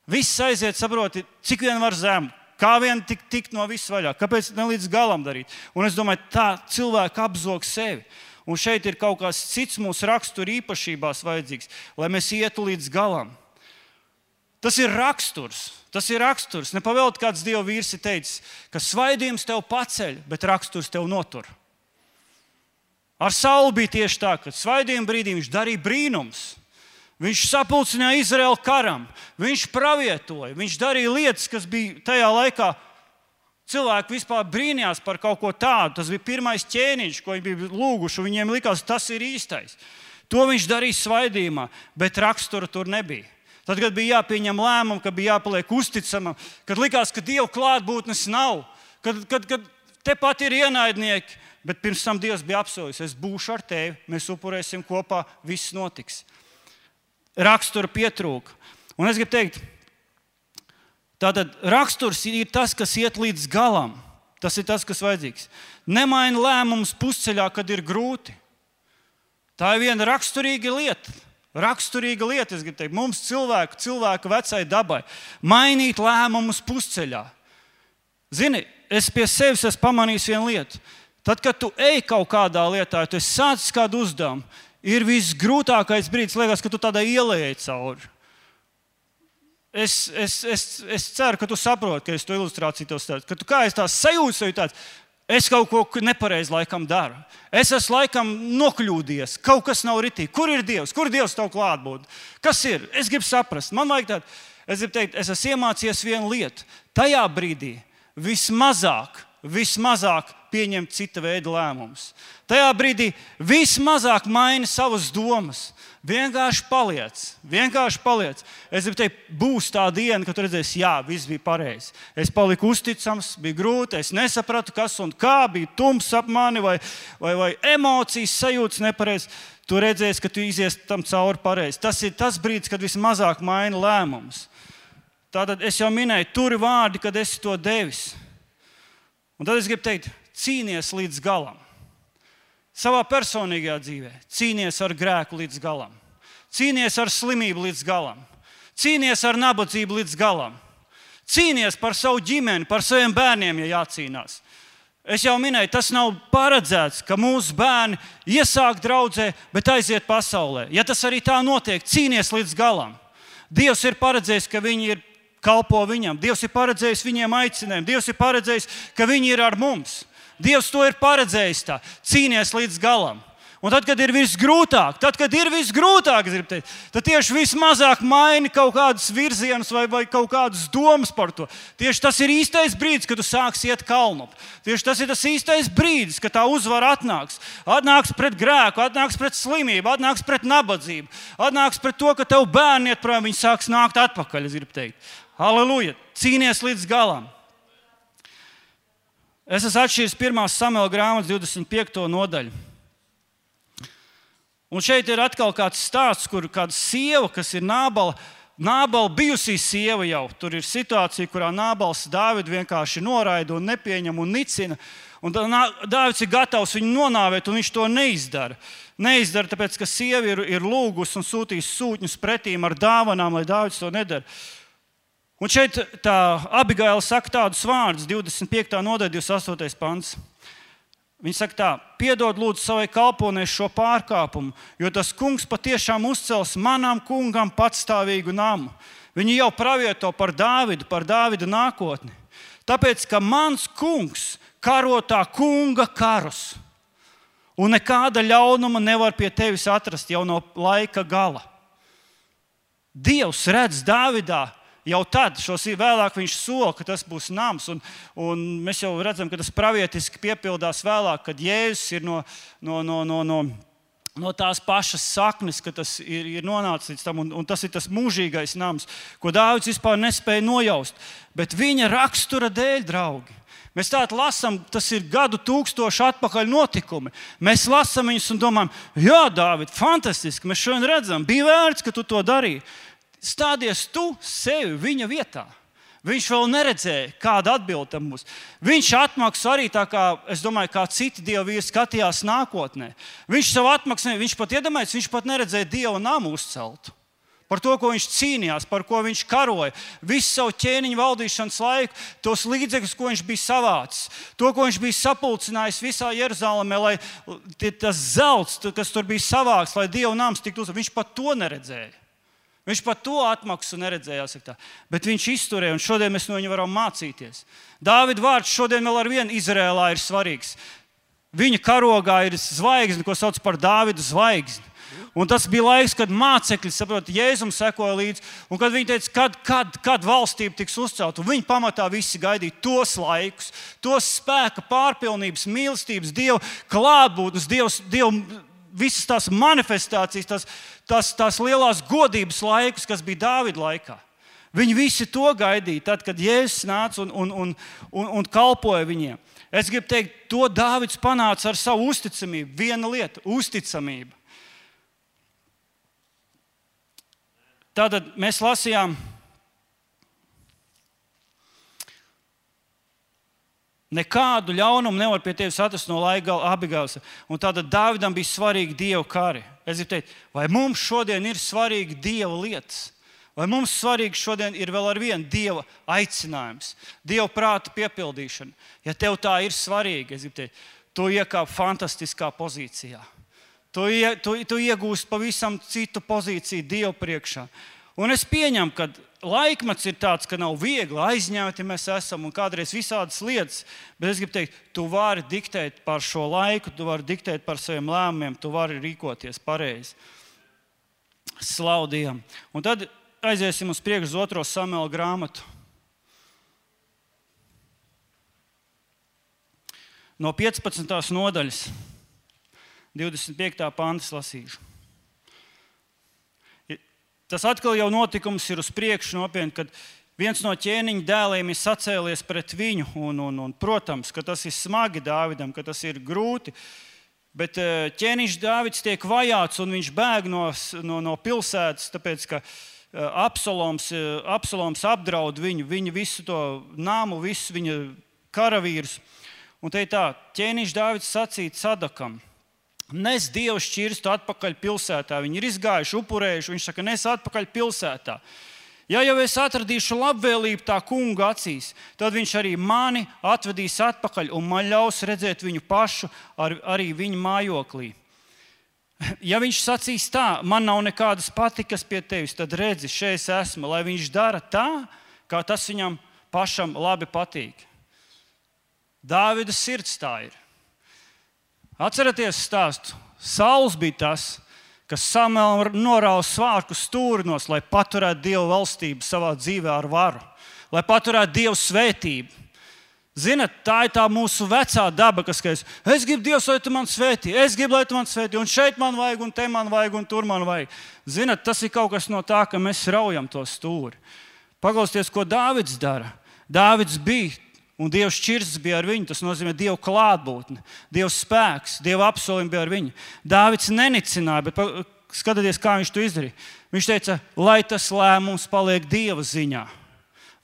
viss aiziet, saproti, cik vien var zem. Kā vien tikt no viss vaļā? Kāpēc ne līdz galam darīt? Un es domāju, tā cilvēki apzog sevi. Un šeit ir kaut kas cits mūsu rakstura īpašībās vajadzīgs, lai mēs ietu līdz galam. Tas ir raksturs. Nepavēlti kāds Dieva vīrs ir teicis, ka svaidījums tev paceļ, bet raksturs tev notur. Ar Saulu bija tieši tā, ka svaidījuma brīdī viņš darīja brīnums. Viņš sapulcināja Izraēlu karam, viņš pravietoja, viņš darīja lietas, kas bija tajā laikā. Cilvēki vispār brīnījās par kaut ko tādu. Tas bija pirmais ķēniņš, ko viņi bija lūguši. Viņiem likās, tas ir īstais. To viņš darīja svaidījumā, bet rakstura tur nebija. Tad, kad bija jāpieņem lēmumu, kad bija jāpaliek uzticamam, kad likās, ka Dieva klātbūtnes nav, kad tepat ir ienaidnieki, bet pirms tam Dievs bija apsolījis, es būšu ar tevi, mēs upurēsim kopā, viss notiks. Rakstura pietrūka. Un es gribu teikt, tātad raksturs ir tas, kas iet līdz galam. Tas ir tas, kas vajadzīgs. Nemaini lēmumus pusceļā, kad ir grūti. Tā ir viena raksturīga lieta. Es gribu teikt, mums cilvēku vecai dabai. Mainīt lēmumus pusceļā. Zini, es pie sevis esmu pamanījis vienu lietu. Tad, kad tu ej kaut kādā lietā, tu esi sācis kādu uzdevumu, ir visgrūtākais brīdis, liekas, ka tu tādā ielējai cauri. Es ceru, ka tu saproti, ka es to ilustrāciju tev stāstu. Ka tu kā es tās sajūtas, tāds, es kaut ko nepareizi laikam daru. Es esmu laikam nokļūdies, kaut kas nav ritīgi. Kur ir Dievs? Kur Dievs tev klātbūt? Kas ir? Es gribu saprast. Man vajag tādu, es gribu teikt, es esmu iemācījies vienu lietu. Tajā brīdī vismazāk pieņemt cita veida lēmumus. Tajā brīdī vismazāk maini savas domas. Vienkārši paliec. Es gribu teikt, būs tā diena, kad tu redzēsi, jā, viss bija pareizi. Es paliku uzticams, bija grūti, es nesapratu, kas un kā, bija tums ap mani vai emocijas sajūtas nepareizi. Tu redzēsi, ka tu izies tam cauri pareizi. Tas ir tas brīdis, kad vismazāk maini lēmumus. Tātad es jau minēju, turi vārdi, kad esi to devis. Un tad es gribu teikt, cīnies līdz galam. Savā personīgajā dzīvē cīnies ar grēku līdz galam. Cīnies ar slimību līdz galam. Cīnies ar nabadzību līdz galam. Cīnies par savu ģimeni, par saviem bērniem, ja jācīnās. Es jau minēju, tas nav paredzēts, ka mūsu bērni iesāk draudzē, bet aiziet pasaulē. Ja tas arī tā notiek, cīnies līdz galam. Dievs ir paredzējis, ka viņi ir kalpo viņam. Dievs ir paredzējis viņiem aicinājumu. Dievs ir paredzējis, ka viņi ir ar mums. Dievs to ir paredzējis tā. Cīnies līdz galam. Un tad, kad ir visgrūtāk, es gribu teikt, tad tieši vismazāk maini kaut kādus virzienus vai kaut kādas domas par to. Tieši tas ir īstais brīdis, kad tu sāksi iet kalnu. Tieši tas ir tas īstais brīdis, kad tā uzvara atnāks. Atnāks pret grēku, atnāks pret slimību, atnāks pret nabadzību, atnāks pret to, ka tev bērni iet prom, viņi sāks nākt atpakaļ, es gribu teikt. Halleluja! Cīnies līdz galam. Es esmu atšķīris 1. Samuela grāmatas 25. nodaļu. Un šeit ir atkal kāds stāsts, kur kāda sieva, kas ir Nābala Nābala bijusī sieva jau. Tur ir situācija, kurā Nābals Dāvidu vienkārši noraida un nepieņem un nicina. Un Dāvids ir gatavs viņu nonāvēt, un viņš to neizdara. Neizdara, tāpēc, ka sieva ir lūgus un sūtīs sūtņus pretīm ar dāvanām, lai Dāvids to nedara. Un šeit tā Abigaila saka tādus vārdus, 25. nodaļa, 28. pants. Viņa saka tā: piedod lūdzu savai kalponei šo pārkāpumu, jo tas kungs patiešām uzcels manam kungam patstāvīgu namu. Viņi jau pravieto par Dāvida nākotni. Tāpēc, ka mans kungs karo tā kunga karus, un nekāda ļaunuma nevar pie tevis atrast jau no laika gala. Dievs redz Dāvidā jau tad, vēlāk viņš sola, ka tas būs nams, un mēs jau redzam, ka tas pravietiski piepildās vēlāk, kad Jēzus ir no tās pašas saknes, ka tas ir nonācis līdz tam, un tas ir tas mūžīgais nams, ko Dāvids vispār nespēja nojaust. Bet viņa rakstura dēļ, draugi, mēs tādu lasām, tas ir gadu tūkstošu atpakaļ notikumi. Mēs lasām viņus un domājam, jā, Dāvid, fantastiski, mēs šodien redzam, bija vērts, ka tu to darīji. Stādies tu sevi viņa vietā. Viņš vēl neredzēja, kāda atbilde tam būs. Viņš atmaksā arī tā kā, es domāju, kā citi Dieva vīri skatījās nākotnē. Viņš savu atmaksā, viņš pat iedomājas, viņš pat neredzēja Dieva namu uzceltu. Par to, ko viņš cīnījās, par ko viņš karoja, visu savu ķēniņu valdīšanas laiku, tos līdzekļus, ko viņš bija savācis, to, ko viņš bija sapulcinājis visā Jeruzalemē, lai tas zelts, kas tur bija savāks, lai Dieva nams tiktu uzcelts, viņš pat to neredzēja. Viņš pat to atmaksu neredzēja, jāsaka tā. Bet viņš izturēja, un šodien mēs no viņa varam mācīties. Dāvida vārds šodien vēl ar vienu Izrēlā ir svarīgs. Viņa karogā ir zvaigzne, ko sauc par Dāvida zvaigzni. Un tas bija laiks, kad mācekļi, saprot, Jēzum sekoja līdzi, un kad viņi teica, kad valstība tiks uzcelta, un viņi pamatā visi gaidīja tos laikus, tos spēka pārpilnības, mīlestības, Dieva klātbūtnes, Dieva visas tās manifestācijas, tās lielās godības laikus, kas bija Dāvida laikā. Viņi visi to gaidīja, tad, kad Jēzus nāca un kalpoja viņiem. Es gribu teikt, to Dāvids panāca ar savu uzticamību. Viena lieta – uzticamība. Tātad mēs lasījām, nekādu ļaunumu nevar pie tevis atrast no laika gala, Abigailas. Un tātad Dāvidam bija svarīgi Dieva kari. Es gribu teikt, vai mums šodien ir svarīgi Dieva lietas? Vai mums svarīgi šodien ir vēl ar vienu Dieva aicinājums, Dieva prāta piepildīšana? Ja tev tā ir svarīgi, es gribu teikt, tu iekāp fantastiskā pozīcijā. Tu iegūsi pavisam citu pozīciju Dieva priekšā. Un es pieņemu, ka laikmets ir tāds, ka nav viegli aizņemti mēs esam un kādreiz visādas lietas, bet es gribu teikt, tu vari diktēt par šo laiku, tu vari diktēt par saviem lēmumiem, tu vari rīkoties pareizi. Slavu Dievam. Un tad aiziesim uz priekšu uz 2. Samuela grāmatu. No 15. nodaļas. 25. pantas lasīšu. Tas atkal jau notikums ir uz priekšu nopietni, kad viens no ķēniņa dēliem ir sacēlies pret viņu. Un, protams, ka tas ir smagi Dāvidam, ka tas ir grūti. Bet ķēniņš Dāvids tiek vajāts un viņš bēg no pilsētas, tāpēc, ka Absaloms apdraud viņu visu to namu, visu viņa karavīrus. Un te ir tā, ķēniņš Dāvids sacīja Sadakam: nes Dievu šķirstu atpakaļ pilsētā. Viņi ir izgājuši, upurējuši. Viņš saka, nes atpakaļ pilsētā. Ja jau es atradīšu labvēlību tā kunga acīs, tad viņš arī mani atvedīs atpakaļ un man ļaus redzēt viņu pašu arī viņa mājoklī. Ja viņš sacīs tā, man nav nekādas patikas pie tevis, tad redzi, šeit es esmu, lai viņš dara tā, kā tas viņam pašam labi patīk. Dāvida sirds tā ir. Atcerieties stāstu. Sauls bija tas, kas Samuēlam norāva svārku stūrinos, lai paturētu Dieva valstību savā dzīvē ar varu, lai paturētu Dieva svētību. Zinat, tā ir tā mūsu vecā daba, kas es gribu Dievs, lai tu man svētī, es gribu, lai tu man svētī, un šeit man vajag, un te man vajag, un tur man vajag. Zinat, tas ir kaut kas no tā, ka mēs raujam to stūri. Paklausieties, ko Dāvids dara. Dāvids bija, un Dieva šķirsts bija ar viņu. Tas nozīmē Dieva klātbūtne, Dieva spēks, Dieva apsolījumi bija ar viņu. Dāvids nenicināja, bet skatieties, kā viņš to izdarīja. Viņš teica, lai tas lēmums paliek Dieva ziņā.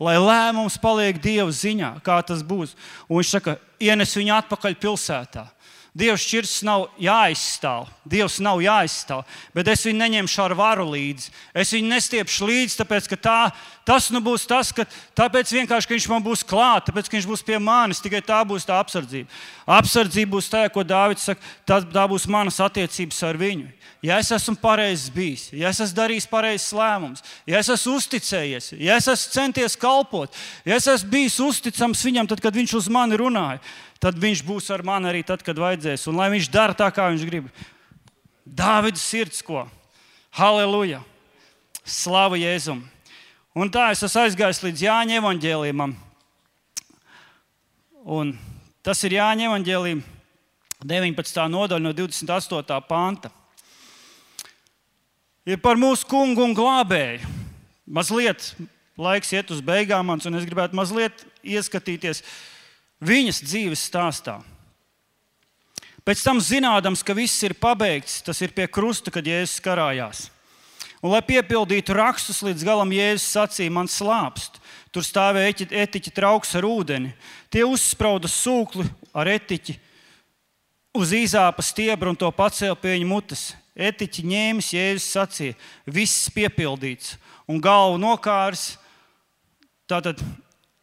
Lai lēmums paliek Dieva ziņā, kā tas būs. Un viņš saka, ienes viņu atpakaļ pilsētā. Dieva šķirstas nav jāizstāv. Dievs nav jāizstāv, bet es viņu neņemšu ar varu līdzi. Es viņu nestiepšu līdzi, tāpēc, ka tas nu būs tas, ka tāpēc vienkārši, ka viņš man būs klāt, tāpēc, ka viņš būs pie manis, tikai tā būs tā apsardzība. Apsardzība būs tā, ko Dāvids saka, tā būs manas attiecības ar viņu. Ja es esmu pareizs bijis, ja es esmu darījis pareizs lēmums, ja es esmu uzticējies, ja es esmu centies kalpot, ja es esmu bijis uzticams viņam, tad, kad viņš uz mani runāja, tad viņš būs ar mani arī tad, kad vajadzēs. Un lai viņš dara tā, kā viņš grib. Dāvida sirds, ko? Halleluja! Slavu Jēzum! Un tā es esmu aizgājis līdz Jāņa evaņģēlijumam. Un tas ir Jāņa evaņģēlijuma 19. nodaļa no 28. panta. Ir par mūsu kungu un glābēju. Mazliet laiks iet uz beigām mans, un es gribētu mazliet ieskatīties viņas dzīves stāstā. Pēc tam zinādams, ka viss ir pabeigts, tas ir pie krusta, kad Jēzus karājās. Un, lai piepildītu rakstus līdz galam, Jēzus sacīja, man slāpst. Tur stāvēja etiķa trauks ar ūdeni. Tie uzsprauda sūkli ar etiķi uz īzāpa stiebra un to pacēla pie viņa mutes. Etiķi ņēmis, Jēzus sacīja, viss piepildīts. Un galvu nokārs, tātad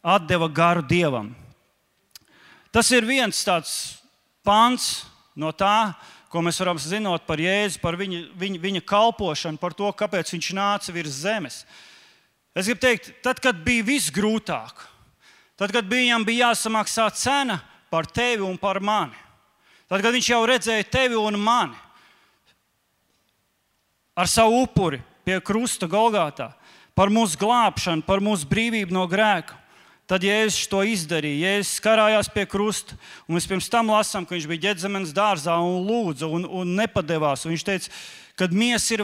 atdeva garu Dievam. Tas ir viens tāds pants no tā, ko mēs varam zināt par Jēzu, par viņa kalpošanu, par to, kāpēc viņš nāca virs zemes. Es gribu teikt, tad, kad bija viss grūtāk, tad, kad viņam bija jāsamaksā cena par tevi un par mani, tad, kad viņš jau redzēja tevi un mani ar savu upuri pie krusta Golgātā, par mūsu glābšanu, par mūsu brīvību no grēka, tad Jēzus to izdarīja. Jēzus karājās pie krusta, un mēs pirms tam lasām, ka viņš bija Ģetzemenes dārzā un lūdza un nepadevās. Un viņš teica, ka miesa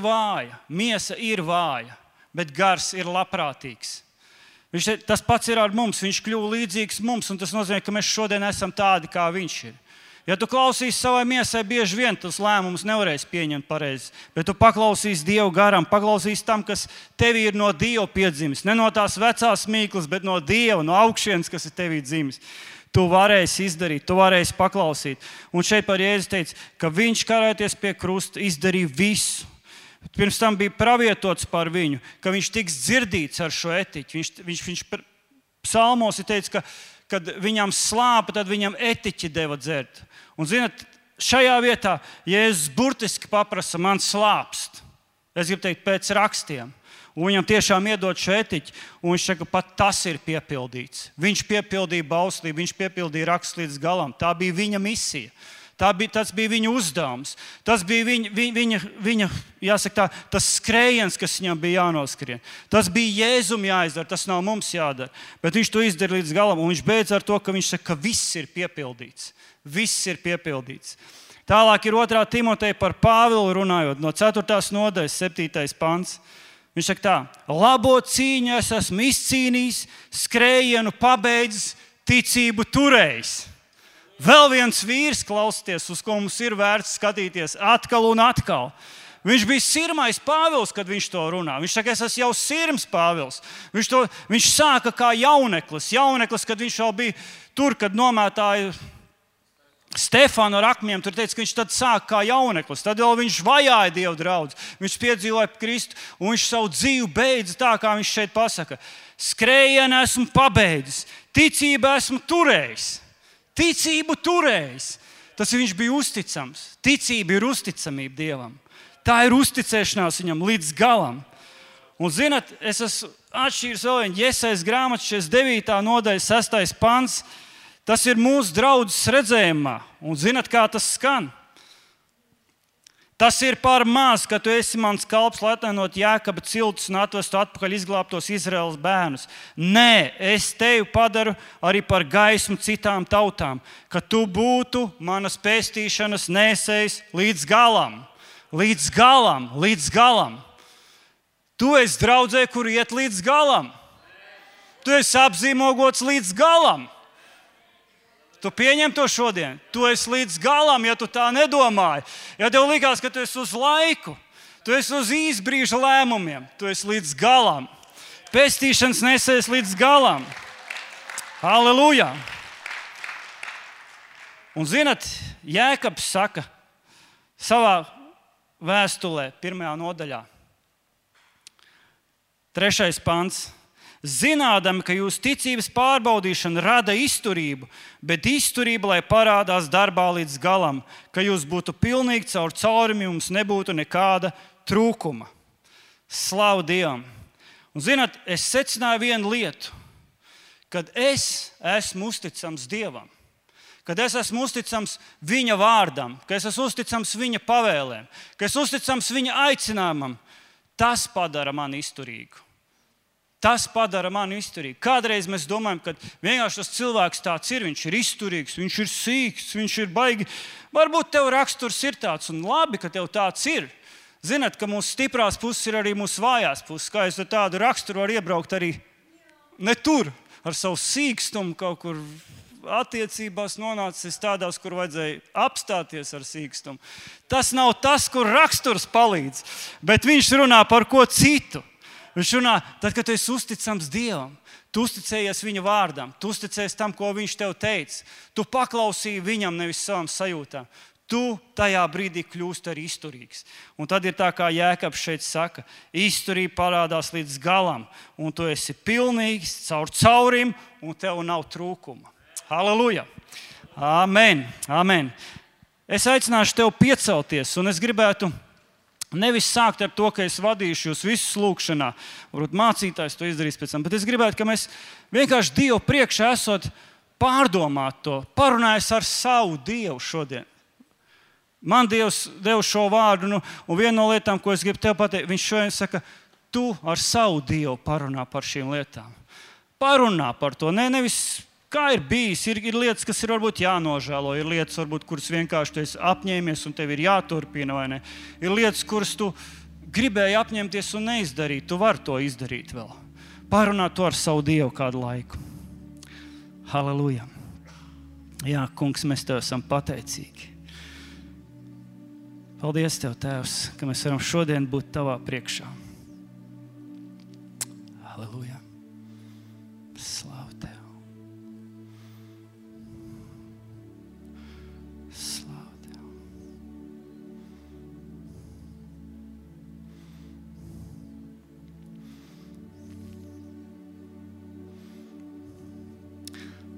ir vāja, bet gars ir labprātīgs. Tas pats ir ar mums, viņš kļuva līdzīgs mums, un tas nozīmē, ka mēs šodien esam tādi, kā viņš ir. Ja tu klausīsi savai miesai, bieži vien tos lēmumus nevarēsi pieņemt pareizi, bet tu paklausīsi Dievu garam, paklausīsi tam, kas tevi ir no Dieva piedzimis. Ne no tās vecās mīklas, bet no Dieva, no augšienes, kas ir tevī dzimis. Tu varēsi izdarīt, tu varēsi paklausīt. Un šeit par Jēzu teica, ka viņš karājoties pie krusta izdarīja visu. Pirms tam bija pravietots par viņu, ka viņš tiks dzirdīts ar šo etiķi. Viņš psalmos ir teicis, ka kad viņam slāpa, tad viņam etiķi deva dzert. Un, zināt, šajā vietā Jēzus burtiski paprasa, man slāpst. Es gribu teikt, pēc rakstiem. Un viņam tiešām iedod šo etiķi, un viņš saka, pat tas ir piepildīts. Viņš piepildīja bauslību, viņš piepildīja rakstu līdz galam. Tā bija viņa misija. Tas bija viņa uzdevums. Tas bija viņa jāsaka tā, tas skrējiens, kas viņam bija jānoskrien. Tas bija Jēzum jāizdara, tas nav mums jādara. Bet viņš to izdara līdz galam, un viņš beidz ar to, ka viņš saka, ka viss ir piepildīts. Viss ir piepildīts. Tālāk ir 2. Timoteja par Pāvilu runājot, no 4. nodaļas 7. pants. Viņš saka tā, labo cīņu es esmu izcīnījis, skrējienu pabeidzis, ticību turējis. Vēl viens vīrs, klausieties, uz ko mums ir vērts skatīties atkal un atkal. Viņš bija sirmais Pāvils, kad viņš to runā. Viņš saka, es esmu jau sirms Pāvils. Viņš sāka kā jauneklis, kad viņš vēl bija tur, kad nomētāja Stefānu ar akmiem. Tur teica, ka viņš tad sāka kā jauneklis. Tad vēl viņš vajāja Dievu draudzi. Viņš piedzīvoja Kristu un viņš savu dzīvi beidza tā, kā viņš šeit pasaka. Skrējienu esmu pabeidzis, ticību esmu turējis. Ticību turējis. Tas viņš bija uzticams. Ticība ir uzticamība Dievam. Tā ir uzticēšanās viņam līdz galam. Un, zināt, es esmu atšķīris vēl vienu Jesajas grāmatu 49. nodaļa 6. pants. Tas ir mūsu draudzes redzējumā. Un, zināt, kā tas skan? Tas ir par maz, ka tu esi mans kalps, lai atainot Jēkaba ciltus un atvestu atpakaļ izglābtos Izraēlas bērnus. Nē, es tevi padaru arī par gaismu citām tautām, ka tu būtu manas pestīšanas nesējs līdz galam. Līdz galam, līdz galam. Tu esi draudzē, kur iet līdz galam. Tu esi apzīmogots līdz galam. Tu pieņem to šodien. Tu esi līdz galam, ja tu tā nedomāji. Ja tev likās, ka tu esi uz laiku, Tu esi uz īsbrīža lēmumiem. Tu esi līdz galam. Pestīšanas nesējs līdz galam. Halleluja! Un zinat, Jēkabs saka savā vēstulē, 1. nodaļā, 3. pants. Zinādami, ka jūsu ticības pārbaudīšana rada izturību, bet izturība, lai parādās darbā līdz galam, ka jūs būtu pilnīgi caur caurumi, jums nebūtu nekāda trūkuma. Slavu Dievam! Un zināt, es secināju vienu lietu, kad es esmu uzticams Dievam, kad es esmu uzticams viņa vārdam, ka es esmu uzticams viņa pavēlēm, ka es esmu uzticams viņa aicinājumam, tas padara mani izturīgu. Tas padara mani izturīgu. Kādreiz mēs domājam, ka vienkārši tas cilvēks tāds ir, viņš ir izturīgs, viņš ir sīks, viņš ir baigi. Varbūt tev raksturs ir tāds, un labi, ka tev tāds ir. Zināt, ka mūsu stiprās puses ir arī mūsu vājās puses. Kā es ar tādu raksturu varu iebraukt arī ne tur, ar savu sīkstumu kaut kur attiecībās nonācis tādās, kur vajadzēja apstāties ar sīkstumu. Tas nav tas, kur raksturs palīdz, bet viņš runā par ko citu. Viņš runā, tad, kad tu esi uzticams Dievam, tu uzticējies viņa vārdam, tu uzticējies tam, ko viņš tev teica. Tu paklausīji viņam, nevis savam sajūtām. Tu tajā brīdī kļūsti arī izturīgs. Un tad ir tā, kā Jēkabs šeit saka, izturība parādās līdz galam, un tu esi pilnīgs caur caurim, un tev nav trūkuma. Halleluja! Amen! Amen! Es aicināšu tev piecelties, un es gribētu nevis sākt ar to, ka es vadīšu jūs visus lūkšanā. Varbūt mācītājs to izdarīs pēc tam. Bet es gribētu, ka mēs vienkārši Dievu priekšā esot pārdomāt to, parunājot ar savu Dievu šodien. Man Dievs deva šo vārdu, un viena no lietām, ko es gribu tev pateikt, viņš šodien saka, tu ar savu Dievu parunā par šīm lietām. Parunā par to, nevis kā ir bijis, ir lietas, kas ir varbūt jānožēlo, ir lietas, varbūt, kuras vienkārši tu esi apņēmies un tev ir jāturpina, vai ne? Ir lietas, kuras tu gribēji apņemties un neizdarīt, tu vari to izdarīt vēl. Parunā to ar savu Dievu kādu laiku. Halleluja! Jā, kungs, mēs tev esam pateicīgi. Paldies tev, Tēvs, ka mēs varam šodien būt tavā priekšā. Halleluja! Slavu tev!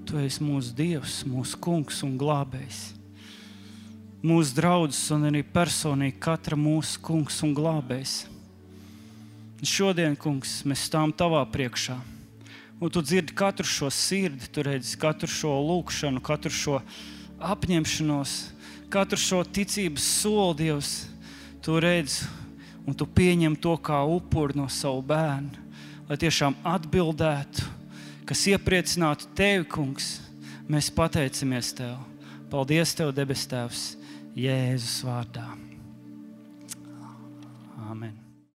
Tu esi mūsu Dievs, mūsu kungs un glābējs. Mūsu draudzes un arī personīgi katra mūsu kungs un glābējs. Šodien, kungs, mēs stāvam tavā priekšā. Un tu dzirdi katru šo sirdi, tu redzi katru šo lūkšanu, katru šo apņemšanos, katru šo ticības soli, Dievs. Tu redzi un tu pieņem to kā upuri no savu bērnu, lai tiešām atbildētu, kas iepriecinātu tevi, kungs. Mēs pateicamies tev. Paldies tev, debes Tēvs, Jēzus vārdā. Amen.